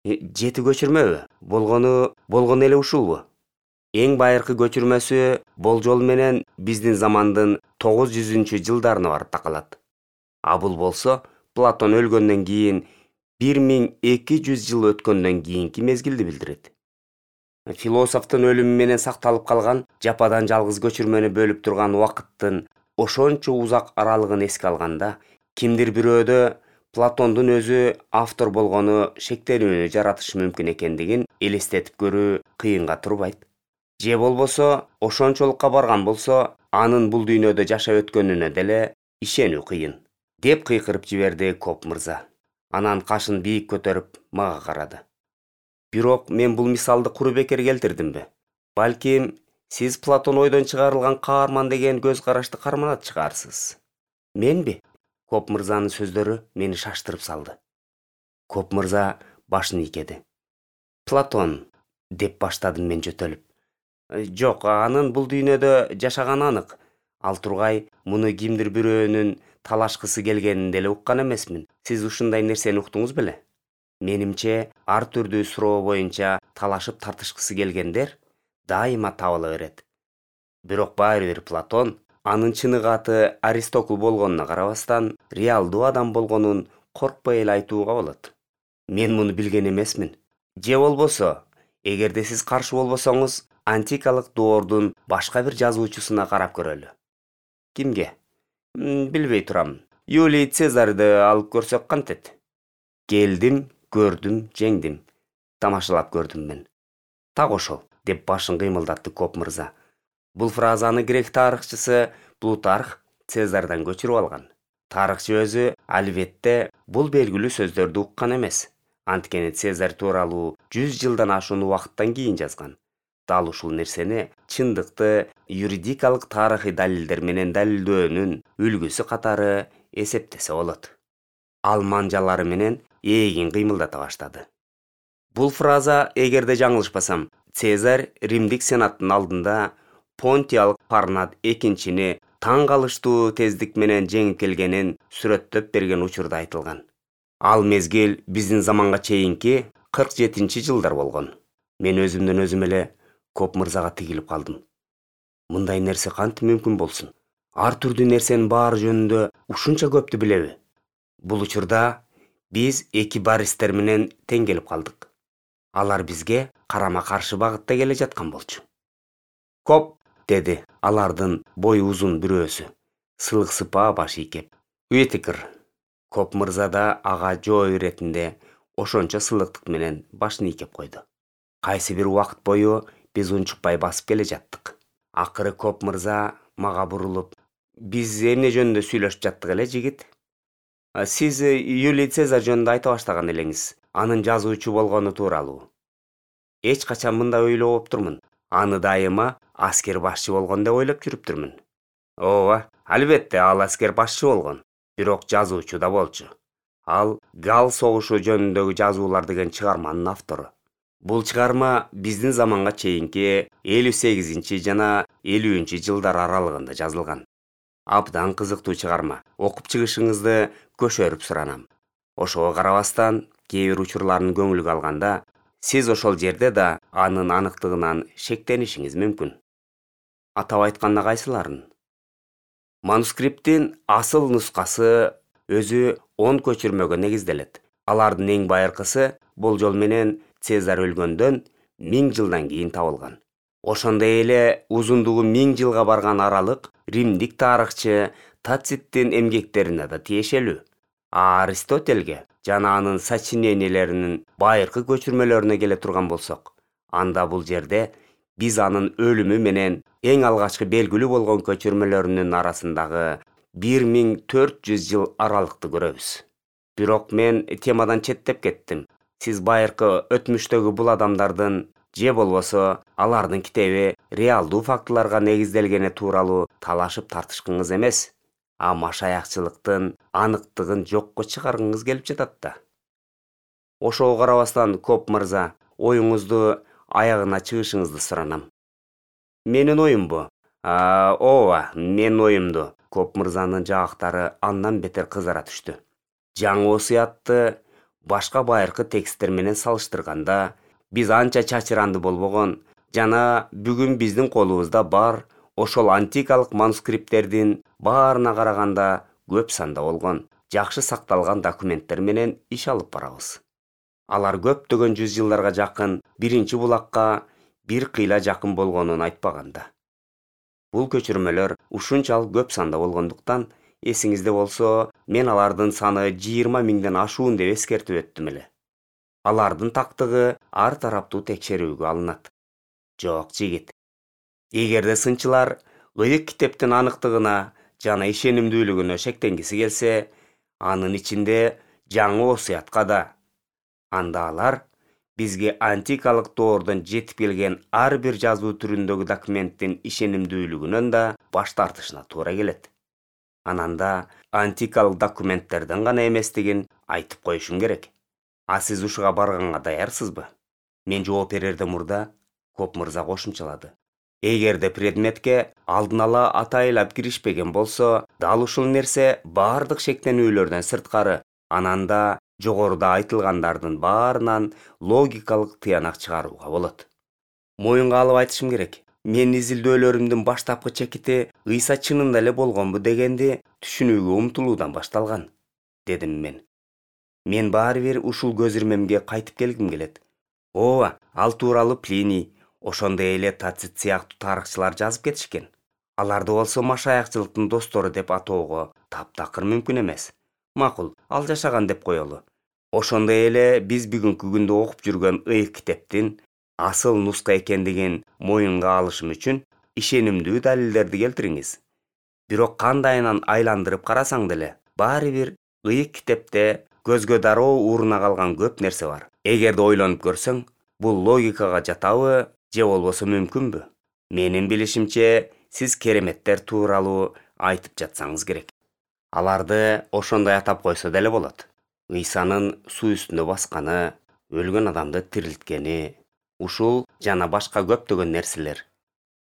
Жети көчүрмөбү? Болгону болгону эле ушулбу? Эң байыркы көчүрмөсү болжол менен биздин замандын тогуз жүзүнчү жылдарына барып такалат. А бул болсо Платон өлгөндөн кийин бир миң эки жүз жыл өткөндөн кийинки мезгилди билдирет. Философтун өлүмү менен сакталып калган жападан жалгыз көчүрмөнү бөлүп турган убакыттын ошончо узак аралыгын эске алганда, кимдир бирөөдө Платондун өзү автор болгону шектенүүнү жаратышы мүмкүн экендигин элестетип көрүү кыйынга турбайт. Же болбосо ошончолукка барган болсо, анын бул дүйнөдө жашап өткөнүнө деле ишенүү кыйын, деп кыйкырып жиберди Коп мырза. Анан кашын бийик көтөрүп мага карады. Бирок мен бул мисалды куру бекер келтирдимби? Балким сиз Платон ойдон чыгарылган каарман деген көз карашты карманат чыгарсыз. Менби? Коп мырзанын сөздөрү мени шаштырып салды. Коп мырза башын ийкеди. Платон, деп баштадым мен жөтөлүп. Жок, анын бул дүйнөдө жашаганы анык. Ал тургай, муну кимдир бирөөнүн талашкысы келгенин деле уккан эмесмин. Сиз ушундай нерсени уктуңуз беле? Менимче, ар түрдүү суроо боюнча талашып тартышкысы келгендер дайыма табыла берет. Бирок баары бир Платон, анын чыныгы аты Аристокл болгонуна карабастан, реалдуу адам болгонун коркпой эле айтууга болот. Мен муну билген эмесмин. Же болбосо, эгерде сиз каршы болбосоңуз, антикалык доордун башка бир жазуучусуна карап көрөлү. Кимге? Билбей турам. Юлий Цезарды алып көрсөк кантет? Келдим, көрдүм, жеңдим. Тамашалап көрдүм мен. Так ошол, деп башын кыймылдатты Коп мырза. Бул фразаны грек тарыхчысы Плутарх Цезардан көчүрүп алган. Тарыхчы өзү албетте бул белгилүү сөздөрдү уккан эмес. Анткени Цезарь тууралуу жүз жылдан ашуун убакыттан кийин жазган. Дал ушул нерсени чындыкты юридикалык тарыхый далилдер менен далилдөөнүн үлгүсү катары эсептесе болот. Ал манжалары менен эгин кыймылдата баштады. Бул фраза, эгерде жаңылышпасам, Цезарь Римдик сенаттын алдында Понтиялык Парнат экинчини таң калыштуу тездик менен жеңип келгенин сүрөттөп берген учурда айтылган. Ал мезгил биздин заманга чейинки кырк жетинчи жылдар болгон. Мен өзүмдөн өзүм эле Коп мырзага тигилип калдым. Мындай нерсе кантип мүмкүн болсун? Ар түрдүү нерсенин баары жөнүндө ушунча көптү билеби? Бул учурда биз эки баристер менен тең келип калдык. Алар бизге карама каршы багытта келе жаткан болчу. Коп, деди алардын бою узун бирөөсү, сылык сыпаа баш ийкеп. Уитикер. Коп мырза да ага жооп иретинде ошончо сылыктык менен башын ийкеп койду. Кайсы бир убакыт бою биз унчукпай басып келе жаттык. Акыры Коп мырза мага бурулуп: "Биз эмне жөнүндө сүйлөшүп жаттык эле, жигит? Сиз Юлий Цезарь жөнүндө айта баштаган элеңиз, анын жазуучу болгону тууралуу. Эч качан мындай ойлоо болуптурмун. Аны дайыма аскер башчы болгон деп ойлоп жүрүптүрмүн." Ооба, албетте ал аскер башчы болгон, бирок жазуучу да болчу. Ал Гал согушу жөнүндөгү жазуулар деген чыгарманын автору. Бул чыгарма биздин заманга чейинки элүү сегизинчи жана элүүнчү жылдар аралыгында жазылган. Абдан кызыктуу чыгарма. Окуп чыгышыңызды көшөрүп суранам. Ошого карабастан, кээ бир учурларын көңүлгө алганда, сиз ошол жерде да анын аныктыгынан шектенишиңиз мүмкүн. Атап айтканда кайсыларын? Манускриптин асыл нускасы өзү он көчүрмөгө негизделет. Алардын эң байыркысы болжол менен Цезарь өлгөндөн миң жылдан кийин табылган. Ошондой эле узундугу миң жылга барган аралык римдик тарыхчы Тациттин эмгектерине да тиешелүү. А Аристотельге жана анын сочиненияларынын байыркы көчүрмөлөрүнө келе турган болсок, анда бул жерде биз анын өлүмү менен эң алгачкы белгилүү болгон көчүрмөлөрүнүн арасындагы бир миң төрт жүз жыл аралыкты көрөбүз. Бирок мен темадан четтеп кеттим. Сиз байыркы өтмүштөгү бул адамдардын же болбосо алардын китеби реалдуу фактыларга негизделгени тууралуу талашып тартышкыңыз эмес, а машаякчылыктын аныктыгын жокко чыгаргыңыз келип жатат да. Ошого карабастан, Коп мырза, оюңузду аягына чыгышыңызды суранам. Менин оюмбу? Ооба, менин оюмду. Коп мырзанын жаактары андан бетер кызара түштү. Жаңы осуятты башка байыркы тексттер менен салыштырганда, биз анча чачыранды болбогон жана бүгүн биздин колубузда бар ошол антикалык манускрипттердин баарына караганда көп санда болгон, жакшы сакталган документтер менен иш алып барабыз. Алар көптөгөн жүз жылдарга жакын биринчи булакка бир кыйла жакын болгонун айтпаганда. Бул көчүрмөлөр ушунчалык көп санда болгондуктан, эсиңизде болсо, мен алардын саны жыйырма миңден ашуун деп эскертип өттүм эле. Алардын тактыгы ар тараптуу текшерүүгө алынат. Жок, жигит. Эгерде сынчылар ыйык китептин аныктыгына жана ишенимдүүлүгүнө шектенгиси келсе, анын ичинде жаңы осуятка да. Анда алар бизге антикалык доордон жетип келген ар бир жазуу түрүндөгү документтин ишенимдүүлүгүнөн да баш тартышына туура келет. Ананда антикалык документтерден гана эместигин айтып коюшум керек. А сиз ушуга барганга даярсызбы? Мен жооп берерден мурда Коп мырза кошумчалады. Эгерде предметке алдын ала атайлап киришпеген болсо, дал ушул нерсе бардык шектенүүлөрдөн сырткары, ананда жогоруда айтылгандардын баарынан логикалык тыянак чыгарууга болот. Моюнга алып айтышым керек. Мен изилдөөлөрүмдүн баштапкы чекити ыйса чынында эле болгонбу дегенди түшүнүүгө умтулуудан башталган, дедим мен. Мен баары бир ушул көз ирмемге кайтып келгим келет. Ооба, ал тууралуу Плиний, ошондой эле Тацит сыяктуу тарыхчылар жазып кетишкен. Аларды болсо машаякчылыктын достору деп атоого таптакыр мүмкүн эмес. Макул, ал жашаган деп коелу. Ошондой эле биз бүгүнкү күндө окуп жүргөн ыйык китептин асыл нуска экендигин моюнга алышым үчүн ишенимдүү далилдерди келтириңиз. Бирок кандайынан айландырып карасаң деле, баары бир ыйык китепте көзгө дароо ууруна калган көп нерсе бар. Эгерде ойлонуп көрсөң, бул логикага жатабы же болбосо мүмкүнбү? Менин билишимче, сиз кереметтер тууралуу айтып жатсаңыз керек. Аларды ошондой атап койсо деле болот. Ыйсанын суу үстүндө басканы, өлгөн адамды тирилткени, ушул жана башка көптөгөн нерселер.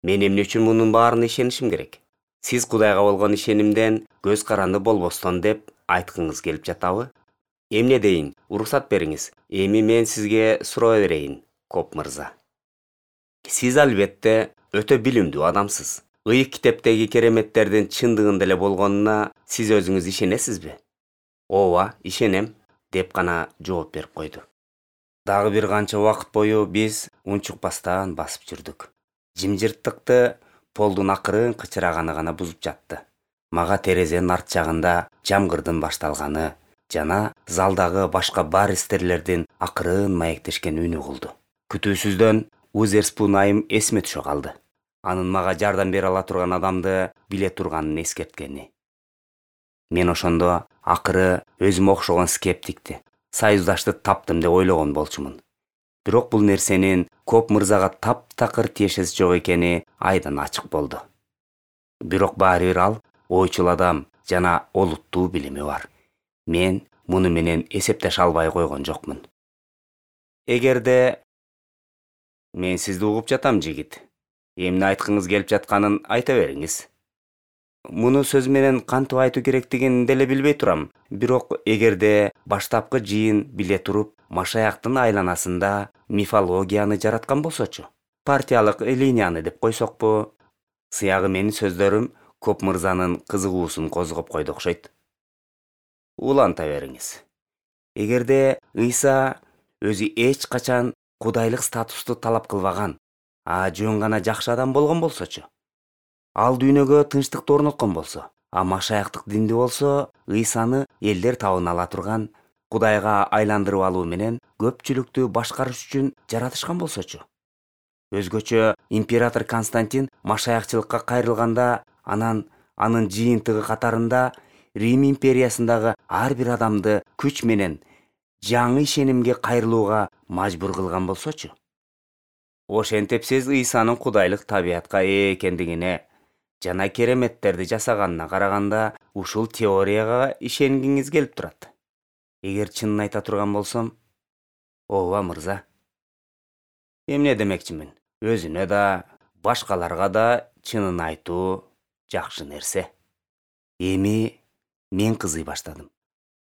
Мен эмне үчүн мунун баарына ишенишим керек? Сиз Кудайга болгон ишенимден көз каранды болбостон деп айткыңыз келип жатабы? Эмне дейин, уруксат бериңиз. Эми мен сизге суроо берейин, Коп мырза. Сиз албетте өтө билимдүү адамсыз. Ыйык китептеги кереметтердин чындыгын деле болгонуна сиз өзүңүз ишенесизби? Ооба, ишенем, деп гана жооп берип койду. Дагы бир канча убакыт бою биз унчукпастан басып жүрдүк. Жимжырттыкты полдун акырын кычыраганы гана бузуп жатты. Мага терезенин арт жагында жамгырдын башталганы жана залдагы башка баристерлердин акырын маектешкен үнү кылды. Күтүүсүздөн Узерспун айым эсиме түшө калды. Анын мага жардам бере ала турган адамды биле турганын эскерткени. Мен ошондо акыры өзүмө окшогон скептикти, союздашты таптым деп ойлогон болчумун. Бирок бул нерсенин Коп мырзага таптакыр тиешеси жок экени айдан ачык болду. Бирок баары бир ал ойчул адам жана олуттуу билими бар. Мен муну менен эсептеше албай койгон жокмун. Эгерде мен сизди угуп жатам, жигит. Эмне айткыңыз келип жатканын айта бериңиз. Муну сөз менен кантип айтуу керектигин деле билбей турам. Бирок эгерде баштапкы жыйын биле туруп, Машаяктын айланасында мифологияны жараткан болсочу, партиялык линияны деп койсокпу, сыягы менин сөздөрүм Коп мырзанын кызыгуусун козгоп койду окшойт. Уланта бериңиз. Эгерде Ыйса өзү эч качан кудайлык статусту талап кылбаган, а жөн гана жакшы адам болгон болсочу, ал дүйнөгө тынчтыкты орноткон болсо, а Машаяктык динди болсо Ыйсаны элдер табына ала турган, Кудайга айландырып алуу менен көпчүлүктү башкарыш үчүн жаратышкан болсочу. Өзгөчө император Константин Машаякчылыкка кайрылганда, анан анын жыйынтыгы катарында Рим империясындагы ар бир адамды күч менен жаңы ишенимге кайрылууга мажбур кылган болсочу. Ошентип сиз Ыйсанын кудайлык табиятка ээ экендигине жана кереметтерди жасаганына караганда ушул теорияга ишенгиңиз келип турат. Эгер чынын айта турган болсом, ооба мырза. Эмне демекчимин? Өзүнө да, башкаларга да чынын айтуу жакшы нерсе. Эми мен кызый баштадым.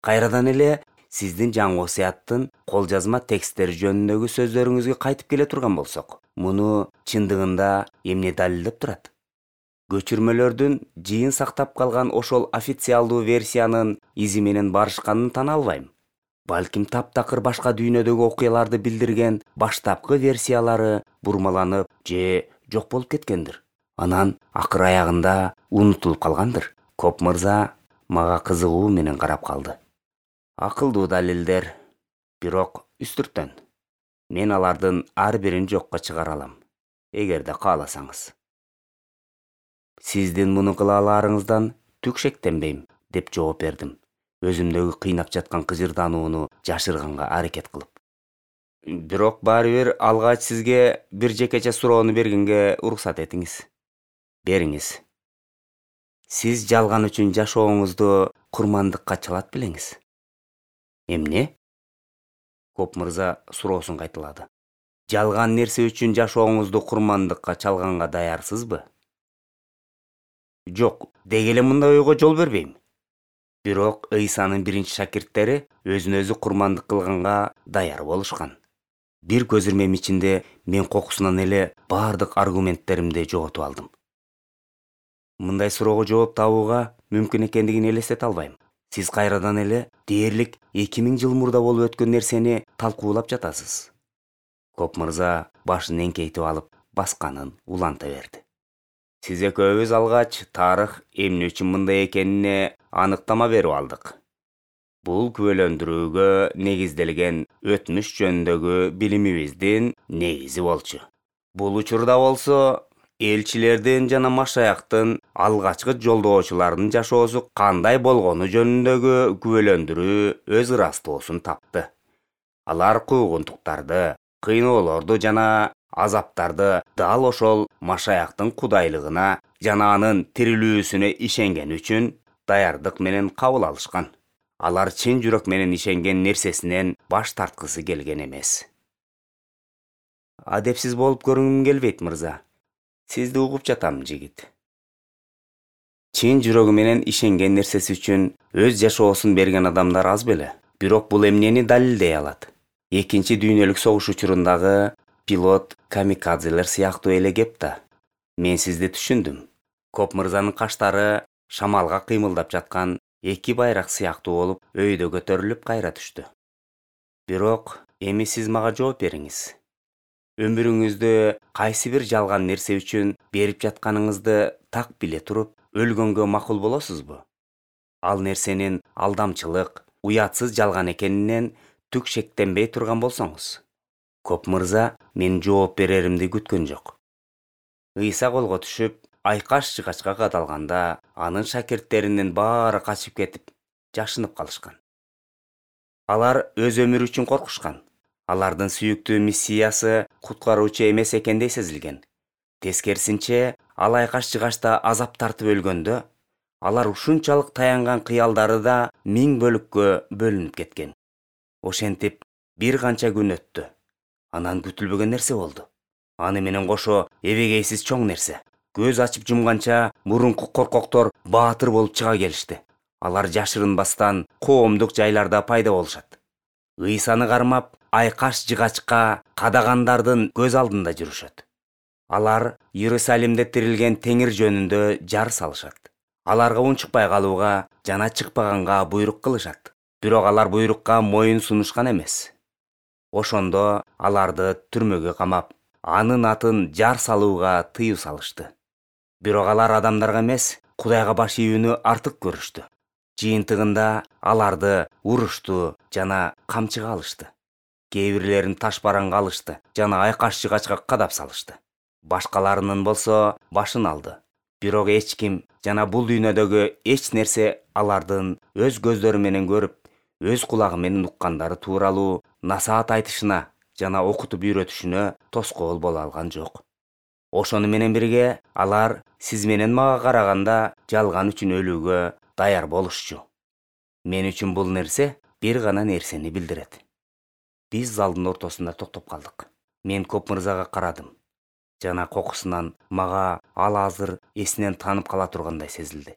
Кайрадан эле сиздин жаңы осуяттын кол жазма тексттери жөнүндөгү сөздөрүңүзгө кайтып келе турган болсок, муну чындыгында эмне далилдеп турат? Көчүрмөлөрдүн жыйын сактап калган ошол официалдуу версиянын изи менен барышканын тана албайм. Балким таптакыр башка дүйнөдөгү окуяларды билдирген баштапкы версиялары бурмаланып же жок болуп кеткендир. Анан акыр аягында унутулуп калгандыр. Коп мырза мага кызыгуу менен карап калды. Акылдуу далилдер, бирок үстүртөн. Мен алардын ар бирин жокко чыгара алам, эгерде кааласаңыз. Сиздин муну кыла аларыңыздан түк шектенбейм, деп жооп бердим, өзүмдөгү кыйнап жаткан кыжырданууну жашырганга аракет кылып. Бирок баары бир алгач сизге бир жекече суроону бергенге уруксат этиңиз. Бериңиз. Сиз жалган үчүн жашооңузду курмандыкка чалат белеңиз. Эмне? Коп мырза суроосун кайталады. Жалган нерсе үчүн жашооңузду курмандыкка чалганга даярсызбы? Жок, деги эле мындай ойго жол бербейм. Бирок Ыйсанын биринчи шакирттери өзүн өзү курмандык кылганга даяр болушкан. Бир көзүрмем ичинде мен кокусунан эле бардык аргументтеримди жоготуп алдым. Мындай суроого жооп табууга мүмкүн экендигин элестете албайм. Сиз кайрадан эле дээрлик эки миң жыл мурда болуп өткөн нерсени талкуулап жатасыз. Коп мырза башын эңкейтип алып, басканын уланта берди. Сиз экөөбүз алгач тарых эмне үчүн мындай экенине аныктама берип алдык. Бул күбөлөндүрүүгө негизделген өтмүш жөнүндөгү билимибиздин негизи болчу. Бул учурда болсо элчилердин жана Машаяктын алгачкы жолдоочуларынын жашоосу кандай болгону жөнүндөгү күбөлөндүрүү өз ырастоосун тапты. Алар куугунтуктарды, кыйноолорду жана азаптарды дал ошол Машаяктын кудайлыгына жана анын тирилүүсүнө ишенген үчүн даярдык менен кабыл алышкан. Алар чын жүрөк менен ишенген нерсесинен баш тарткысы келген эмес. Адепсиз болуп көрүнгүм келбейт, мырза. Сизди угуп жатам, жигит. Чын жүрөгү менен ишенген нерсеси үчүн өз жашоосун берген адамдар аз беле. Бирок бул эмнени далилдей алат? Экинчи дүйнөлүк согуш учурундагы пилот камикадзелер сыяктуу эле кеп да. Мен сизди түшүндүм. Коп мырзанын каштары шамалга кыймылдап жаткан эки байрак сыяктуу болуп өйдө көтөрүлүп кайра түштү. Бирок эми сиз мага жооп бериңиз. Өмүрүңүздү кайсы бир жалган нерсе үчүн берип жатканыңызды так биле туруп, өлгөнгө макул болосузбу? Ал нерсенин алдамчылык, уятсыз жалган экенинен түк шектенбей турган болсоңуз. Коп мырза мен жооп береримди күткөн жок. Ыйса колго түшүп, айкаш-жыгачка кадалганда, анын шакирттеринин баары качып кетип, жашынып калышкан. Алар өз өмүрү үчүн коркушкан. Алардын сүйүктүү миссиясы куткаруучу эмес экендей сезилген. Тескерисинче, ал айкаш-жыгачта азап тартып өлгөндө, алар ушунчалык таянган кыялдары да миң бөлүккө бөлүнүп кеткен. Ошентип, бир канча күн өттү. Анан күтүлбөгөн нерсе болду. Аны менен кошо эбегейсиз чоң нерсе. Көз ачып жумганча мурунку коркоктор баатыр болуп чыга келишти. Алар жашырынбастан коомдук жайларда пайда болушат. Ыйсаны кармап, айкаш-жыгачка кадагандардын көз алдында жүрүшөт. Алар Иерусалимде тирилген Теңир жөнүндө жар салышат. Аларга унчукпай калууга жана чыкпаганга буйрук кылышат. Бирок алар буйрукка моюн сунушкан эмес. Ошондо аларды түрмөгө камап, анын атын жар салууга тыюу салышты. Бирок алар адамдарга эмес, Кудайга баш ийүүнү артык көрүштү. Жыйынтыгында аларды урушту жана камчыга алышты. Кээ бирлерин таш бараңга алышты жана айкаш-жыгачка кадап салышты. Башкаларынын болсо башын алды. Бирок эч ким жана бул дүйнөдөгү эч нерсе алардын өз көздөрү менен көрүп, өз кулагы менен уккандары тууралуу насаат айтышына жана окутуп үйрөтүшүнө тоскоол боло алган жок. Ошону менен бирге алар сиз менен мага караганда жалган үчүн өлүүгө даяр болушчу. Мен үчүн бул нерсе бир гана нерсени билдирет. Биз залдын ортосунда токтоп калдык. Мен Коп мырзага карадым. Жана кокусунан мага ал азыр эсинен танып кала тургандай сезилди.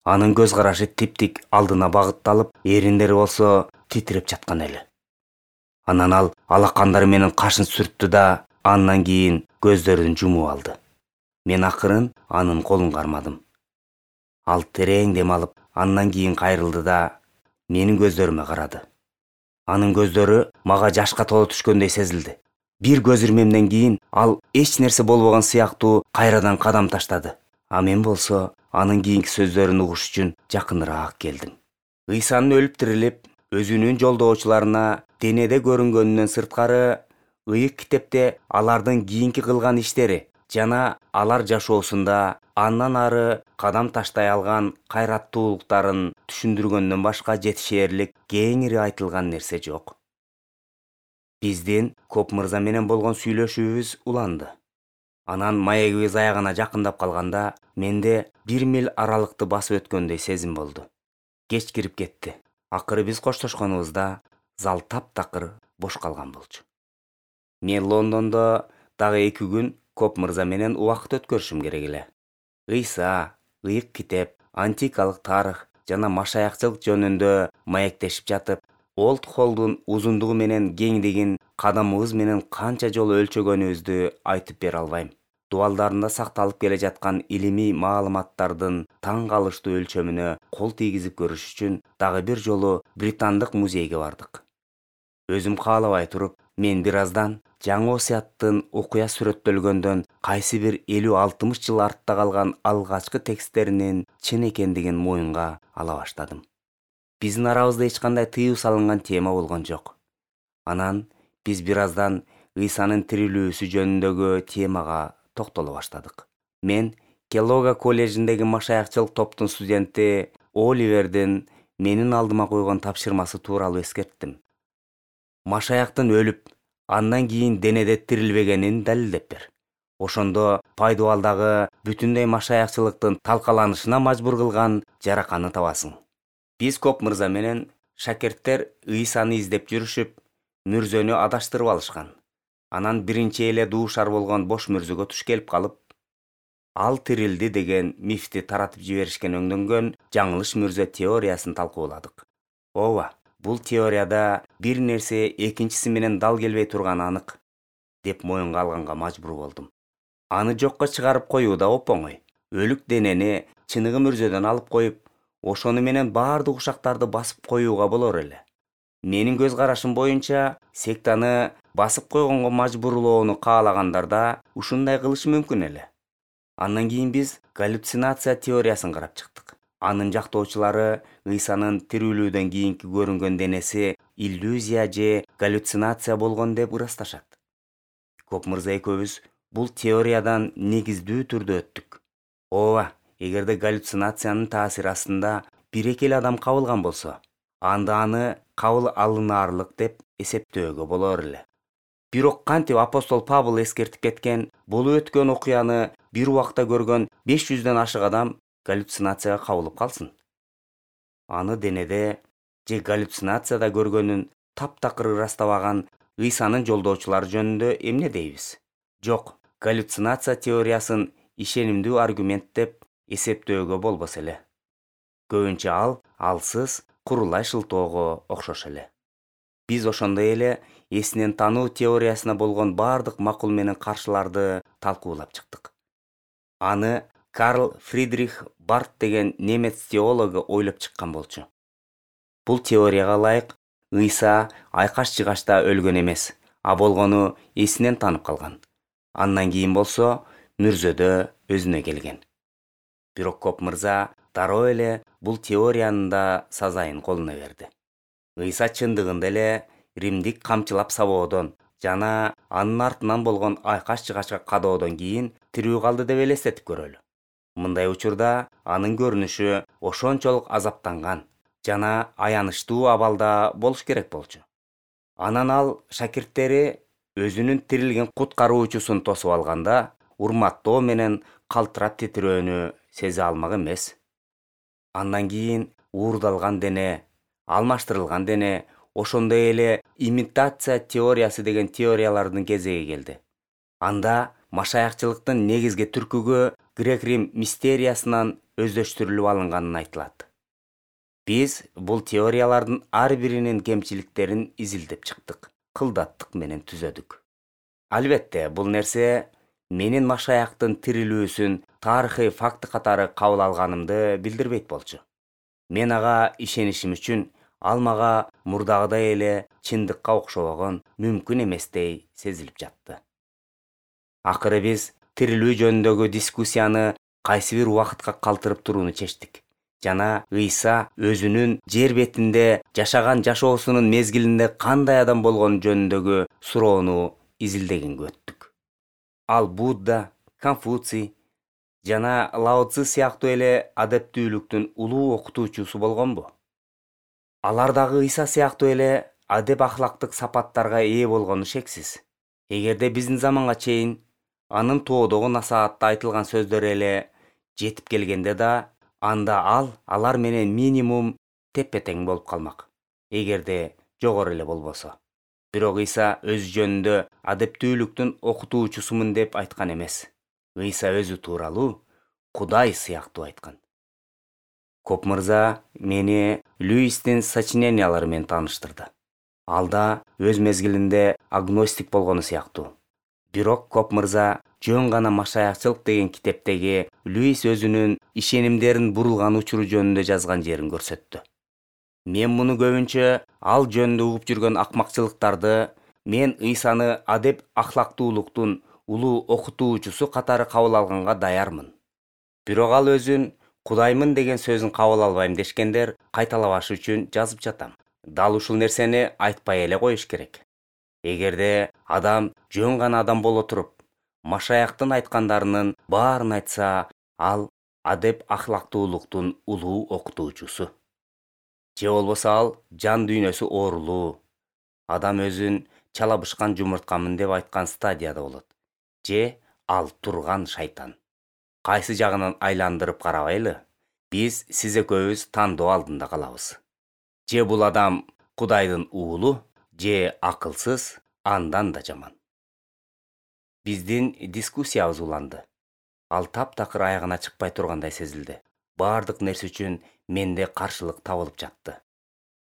Анын көз карашы типтик алдына багытталып, эриндери болсо титиреп жаткан эле. Анан ал алакандары менен кашын сүрттү да, андан кийин көздөрүн жумуп алды. Мен акырын анын колун кармадым. Ал терең дем алып, андан кийин кайрылды да менин көздөрүмө карады. Анын көздөрү мага жашка толо түшкөндөй сезилди. Бир көз ирмемден кийин ал эч нерсе болбогон сыяктуу кайрадан кадам таштады. А мен болсо анын кийинки сөздөрүн угуш үчүн жакыныраак келдим. Ыйсанын өлүп тирилип, өзүнүн жолдоочуларына денеде көрүнгөнүнөн сырткары, ыйык китепте алардын кийинки кылган иштери жана алар жашоосунда андан ары кадам таштай алган кайраттуулуктарын түшүндүргөндөн башка жетишээрлик кеңири айтылган нерсе жок. Биздин Коп мырза менен болгон сүйлөшүүбүз уланды. Анан маегибиз аягына жакындап калганда, менде бир миль аралыкты басып өткөндөй сезим болду. Кеч кирип кетти. Акыры биз коштошконубузда зал таптакыр бош калган болчу. Мен Лондондо дагы эки күн Коп мырза менен убакыт өткөрүшүм керек эле. Ыйса, ыйык китеп, антикалык тарых жана машаякчылык жөнүндө маектешип жатып, Олд Холлдун узундугу менен кеңдигин кадамыбыз менен канча жолу өлчөгөнүбүздү айтып бере албайм. Дубалдарында сакталып келе жаткан илимий маалыматтардын таң калыштуу өлчөмүнө кол тийгизип көрүш үчүн дагы бир жолу британдык музейге бардык. Өзүм каалабай туруп, мен бир аздан жаңы осуяттын окуя сүрөттөлгөндөн кайсы бир элүү алтымыш жыл артта калган алгачкы тексттеринин чын экендигин моюнга ала баштадым. Биздин арабызда эч кандай тыюу салынган тема болгон жок. Анан биз бир аздан Ыйсанын тирилүүсү жөнүндөгү темага токтоло баштадык. Мен Келлога коллежиндеги машаякчылык топтун студенти Оливердин менин алдыма койгон тапшырмасы тууралуу эскерттим. Машаяктын өлүп, андан кийин денеде тирилбегенин далилдеп бер. Ошондо пайдубалдагы бүтүндөй машаякчылыктын талкаланышына мажбур кылган жараканы табасың. Пископ мырза менен шакирттер Ыйсаны издеп жүрүшүп, мүрзөнү адаштырып алышкан. Анан биринчи эле дуушар болгон бош мүрзөгө туш келип калып, ал тирилди деген мифти таратып жиберишкен өңдөнгөн жаңылыш мүрзө теориясын талкууладык. Ооба, бул теорияда бир нерсе экинчиси менен дал келбей турганы анык, деп моюнга алганга мажбур болдум. Аны жокко чыгарып коюу да оп-оңой. Өлүк денени чыныгы мүрзөдөн алып коюп, ошону менен баардык ушактарды басып коюуга болор эле. Менин көз карашым боюнча, сектаны басып койгонго мажбурлоону каалагандарда ушундай кылышы мүмкүн эле. Андан кийин биз галлюцинация теориясын карап чыктык. Анын жактоочулары Ыйсанын тирүүлүүдөн кийинки көрүнгөн денеси иллюзия же галлюцинация болгон деп ырасташат. Коп мырза экөөбүз бул теориядан негиздүү түрдө өттүк. Ооба, эгерде галлюцинациянын таасири астында бир-эки эле адам кабылган болсо, анда аны кабыл алынаарлык деп эсептөөгө болор эле. Бирок кантип апостол Павыл эскертип кеткен, болуп өткөн окуяны бир убакта көргөн беш жүздөн ашык адам галлюцинацияга кабылып калсын? Аны денеде же галлюцинацияда көргөнүн таптакыр ырастабаган Ыйсанын жолдоочулары жөнүндө эмне дейбиз? Жок, галлюцинация теориясын ишенимдүү аргумент деп эсептөөгө болбос эле. Көбүнчө ал алсыз, курулай шылтоого окшош эле. Биз ошондой эле эсинен тануу теориясына болгон баардык макул менен каршыларды талкуулап чыктык. Аны Карл Фридрих Барт деген немец теологу ойлоп чыккан болчу. Бул теорияга ылайык Ыйса айкаш-чыгашта өлгөн эмес, а болгону эсинен танып калган. Андан кийин болсо мүрзөдө өзүнө келген. Бирок Коп мырза дароо эле бул теориянын да сазайын колуна берди. Ыйса чындыгында эле Римдик камчылап сабоодон жана анын артынан болгон айкаш-чыгашка кадоодон кийин тирүү калды деп элестетип көрөлү. Мындай учурда анын көрүнүшү ошончолук азаптанган жана аянычтуу абалда болуш керек болчу. Анан ал шакирттери өзүнүн тирилген куткаруучусун тосуп алганда, урматтоо менен калтырап титирөөнү сезе алмак эмес. Андан кийин уурдалган дене, алмаштырылган дене, ошондой эле имитация теориясы деген теориялардын кезеги келди. Анда машаякчылыктын негизги түркүгү Грек-Рим мистериясынан өздөштүрүлүп алынганын айтылат. Биз бул теориялардын ар биринин кемчиликтерин изилдеп чыктык, кылдаттык менен түзөдүк. Албетте, бул нерсе менин машаяктын тирилүүсүн тарыхый факты катары кабыл алганымды билдирбейт болчу. Мен ага ишенишим үчүн ал мага мурдагыдай эле чындыкка окшобогон мүмкүн эместей сезилип жатты. Акыры биз тирилүү жөнүндөгү дискуссияны кайсы бир убакытка калтырып турууну чечтик жана Ыйса өзүнүн жер бетинде жашаган жашоосунун мезгилинде кандай адам болгону жөнүндөгү суроону изилдегенге өттүк. Ал Будда, Конфуций жана Лао Цзы сыяктуу эле адептүүлүктүн улуу окутуучусу болгонбу? Алар дагы Ыйса сыяктуу эле адеп ахлактык сапаттарга ээ болгону шексиз. Эгерде биздин заманга чейин анын тоодогу насаатта айтылган сөздөрү эле жетип келгенде да, анда ал алар менен минимум теппе-тең болуп калмак, эгерде жогору эле болбосо. Бирок Ыйса өзү жөнүндө адептүүлүктүн окутуучусумун деп айткан эмес. Ыйса өзү тууралуу Кудай сыяктуу айткан. Коп мырза мени Льюистин сочинениялары менен тааныштырды. Ал да өз мезгилинде агностик болгону сыяктуу. Бирок Коп мырза жөн гана машаякчылык деген китептеги Льюис өзүнүн ишенимдерин бурулган учуру жөнүндө жазган жерин көрсөттү. Мен муну көбүнчө ал жөнүндө угуп жүргөн акмакчылыктарды мен Ыйсаны адеп ахлактуулуктун улуу окутуучусу катары кабыл алганга даярмын. Бирок ал өзүн Кудаймын деген сөзүн кабыл албайм дешкендер кайталабаш үчүн жазып жатам. Дал ушул нерсени айтпай эле коюш керек. Эгерде адам жөн гана адам боло туруп, Машаяктын айткандарынын баарын айтса, ал адеп ахлактуулуктун улуу окутуучусу. Же болбосо ал жан дүйнөсү оорулуу, адам өзүн чалабышкан жумурткамын деп айткан стадияда болот. Же ал турган шайтан. Кайсы жагынан айландырып карабайлы, биз сиз экөөбүз тандоо алдында калабыз. Же бул адам Кудайдын уулу, же акылсыз, андан да жаман. Биздин дискуссиябыз уланды. Ал таптакыр аягына чыкпай тургандай сезилди. Баардык нерсе үчүн менде каршылык табылып жатты.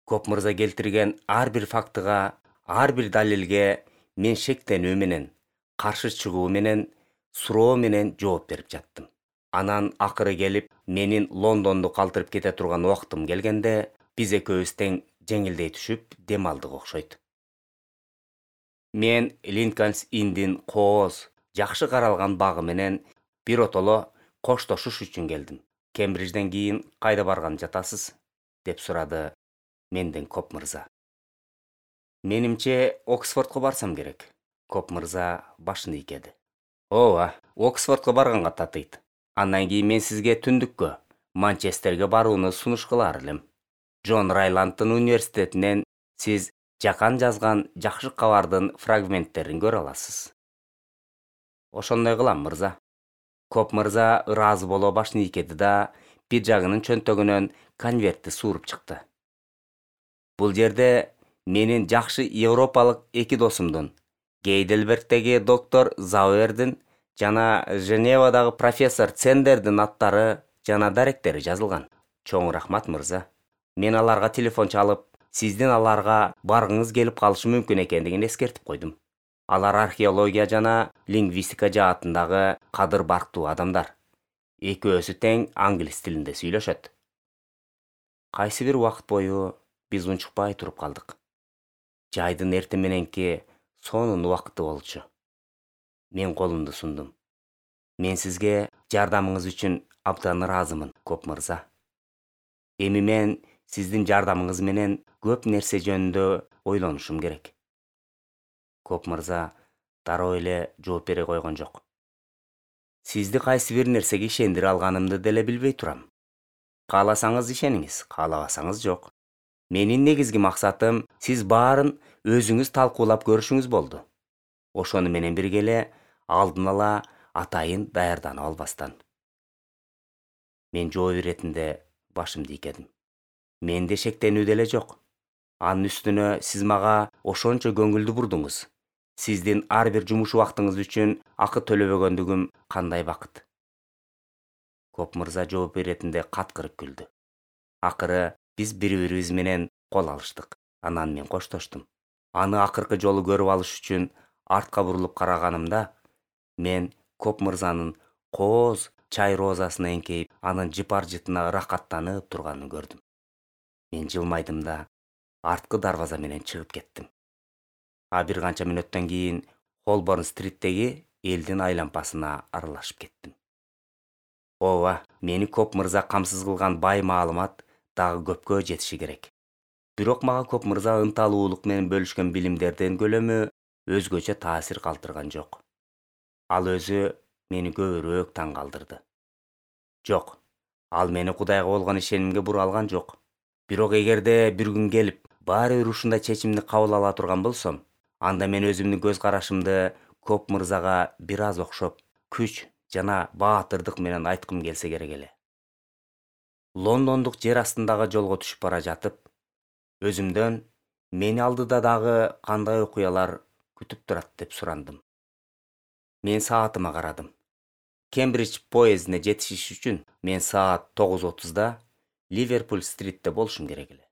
Коп мырза келтирген ар бир фактыга, ар бир далилге мен шектенүү менен, каршы чыгуу менен, суроо менен жооп берип жаттым. Анан акыры келип, менин Лондонду калтырып кете турган убактым келгенде, биз экөөбүз тең жеңилдей түшүп дем алдык окшойт. Мен Линкольнс Инндин кооз, жакшы каралган багы менен биротоло коштошуш үчүн келдим. Кембриджден кийин кайда барган жатасыз? Деп сурады менден Коп мырза. Менимче Оксфордко барсам керек. Коп мырза башын ийкеди. Ооба, Оксфордко барганга татыйт. Андан кийин мен сизге түндүккө, Манчестерге барууну сунуш кылар элем. Джон Райландтын университетинен сиз жакан жазган жакшы кабардын фрагменттерин көрө аласыз. Ошондой кылам, мырза. Коп мырза ыраазы боло башын ийкеди да, бир жагынын чөнтөгүнөн конвертти сууруп чыкты. Бул жерде менин жакшы европалык эки досумдун, Гейдельбергдеги доктор Зауэрдин жана Женевадагы профессор Цендердин аттары жана даректери жазылган. Чоң рахмат, мырза. Мен аларга телефон чалып, сиздин аларга баргыңыз келип калышы мүмкүн экендигин эскертип койдум. Алар археология жана лингвистика жаатындагы кадыр барктуу адамдар. Экөөсү тең англис тилинде сүйлөшөт. Кайсы бир убакыт бою биз унчукпай туруп калдык. Жайдын эртең мененки сонун убакыты болчу. Мен колумду сундум. Мен сизге жардамыңыз үчүн абдан ыраазымын, Коп мырза. Эми мен сиздин жардамыңыз менен көп нерсе жөнүндө ойлонушум керек. Коп мырза дароо эле жооп бере койгон жок. Сизди кайсы бир нерсеге ишендире алганымды деле билбей турам. Кааласаңыз ишениңиз, каалабасаңыз жок. Менин негизги максатым сиз баарын өзүңүз талкуулап көрүшүңүз болду. Ошону менен бирге эле алдын ала атайын даярданып албастан. Мен жооп иретинде башымды ийкедим. Менде шектенүү деле жок. Анын үстүнө сиз мага ошончо көңүлдү бурдуңуз. Сиздин ар бир жумуш убактыңыз үчүн акы төлөбөгөндүгүм кандай бакыт. Коп мырза жооп иретинде каткырып күлдү. Акыры биз бири-бирибиз менен кол алыштык. Анан мен коштоштум. Аны акыркы жолу көрүп алыш үчүн артка бурулуп караганымда, мен Коп мырзанын кооз чай розасына эңкейип, анын жыпар жытына ырахаттанып турганын көрдүм. Мен жылмайдым да арткы дарбаза менен чыгып кеттим. А бир канча мүнөттөн кийин Холборн-стриттеги элдин айлампасына аралашып кеттим. Ооба, мени Коп мырза камсыз кылган бай маалымат дагы көпкө жетиши керек. Бирок мага Коп мырза ынталуулук менен бөлүшкөн билимдердин көлөмү өзгөчө таасир калтырган жок. Ал өзү мени көбүрөөк таң калтырды. Жок, ал мени Кудайга болгон ишенимге бура алган жок. Бирок эгерде бир күн келип, баары бир ушундай чечимди кабыл ала турган болсом, анда мен өзүмдүн көз карашымды Коп мырзага бир аз окшоп, күч жана баатырдык менен айткым келсе керек эле. Лондондук жер астындагы жолго түшүп бара жатып, өзүмдөн мени алдыда дагы кандай окуялар күтүп турат деп сурандым. Мен саатыма карадым. Кембридж поездине жетишиш үчүн мен саат тогуз отузда Ливерпуль-стритте болушум керек эле.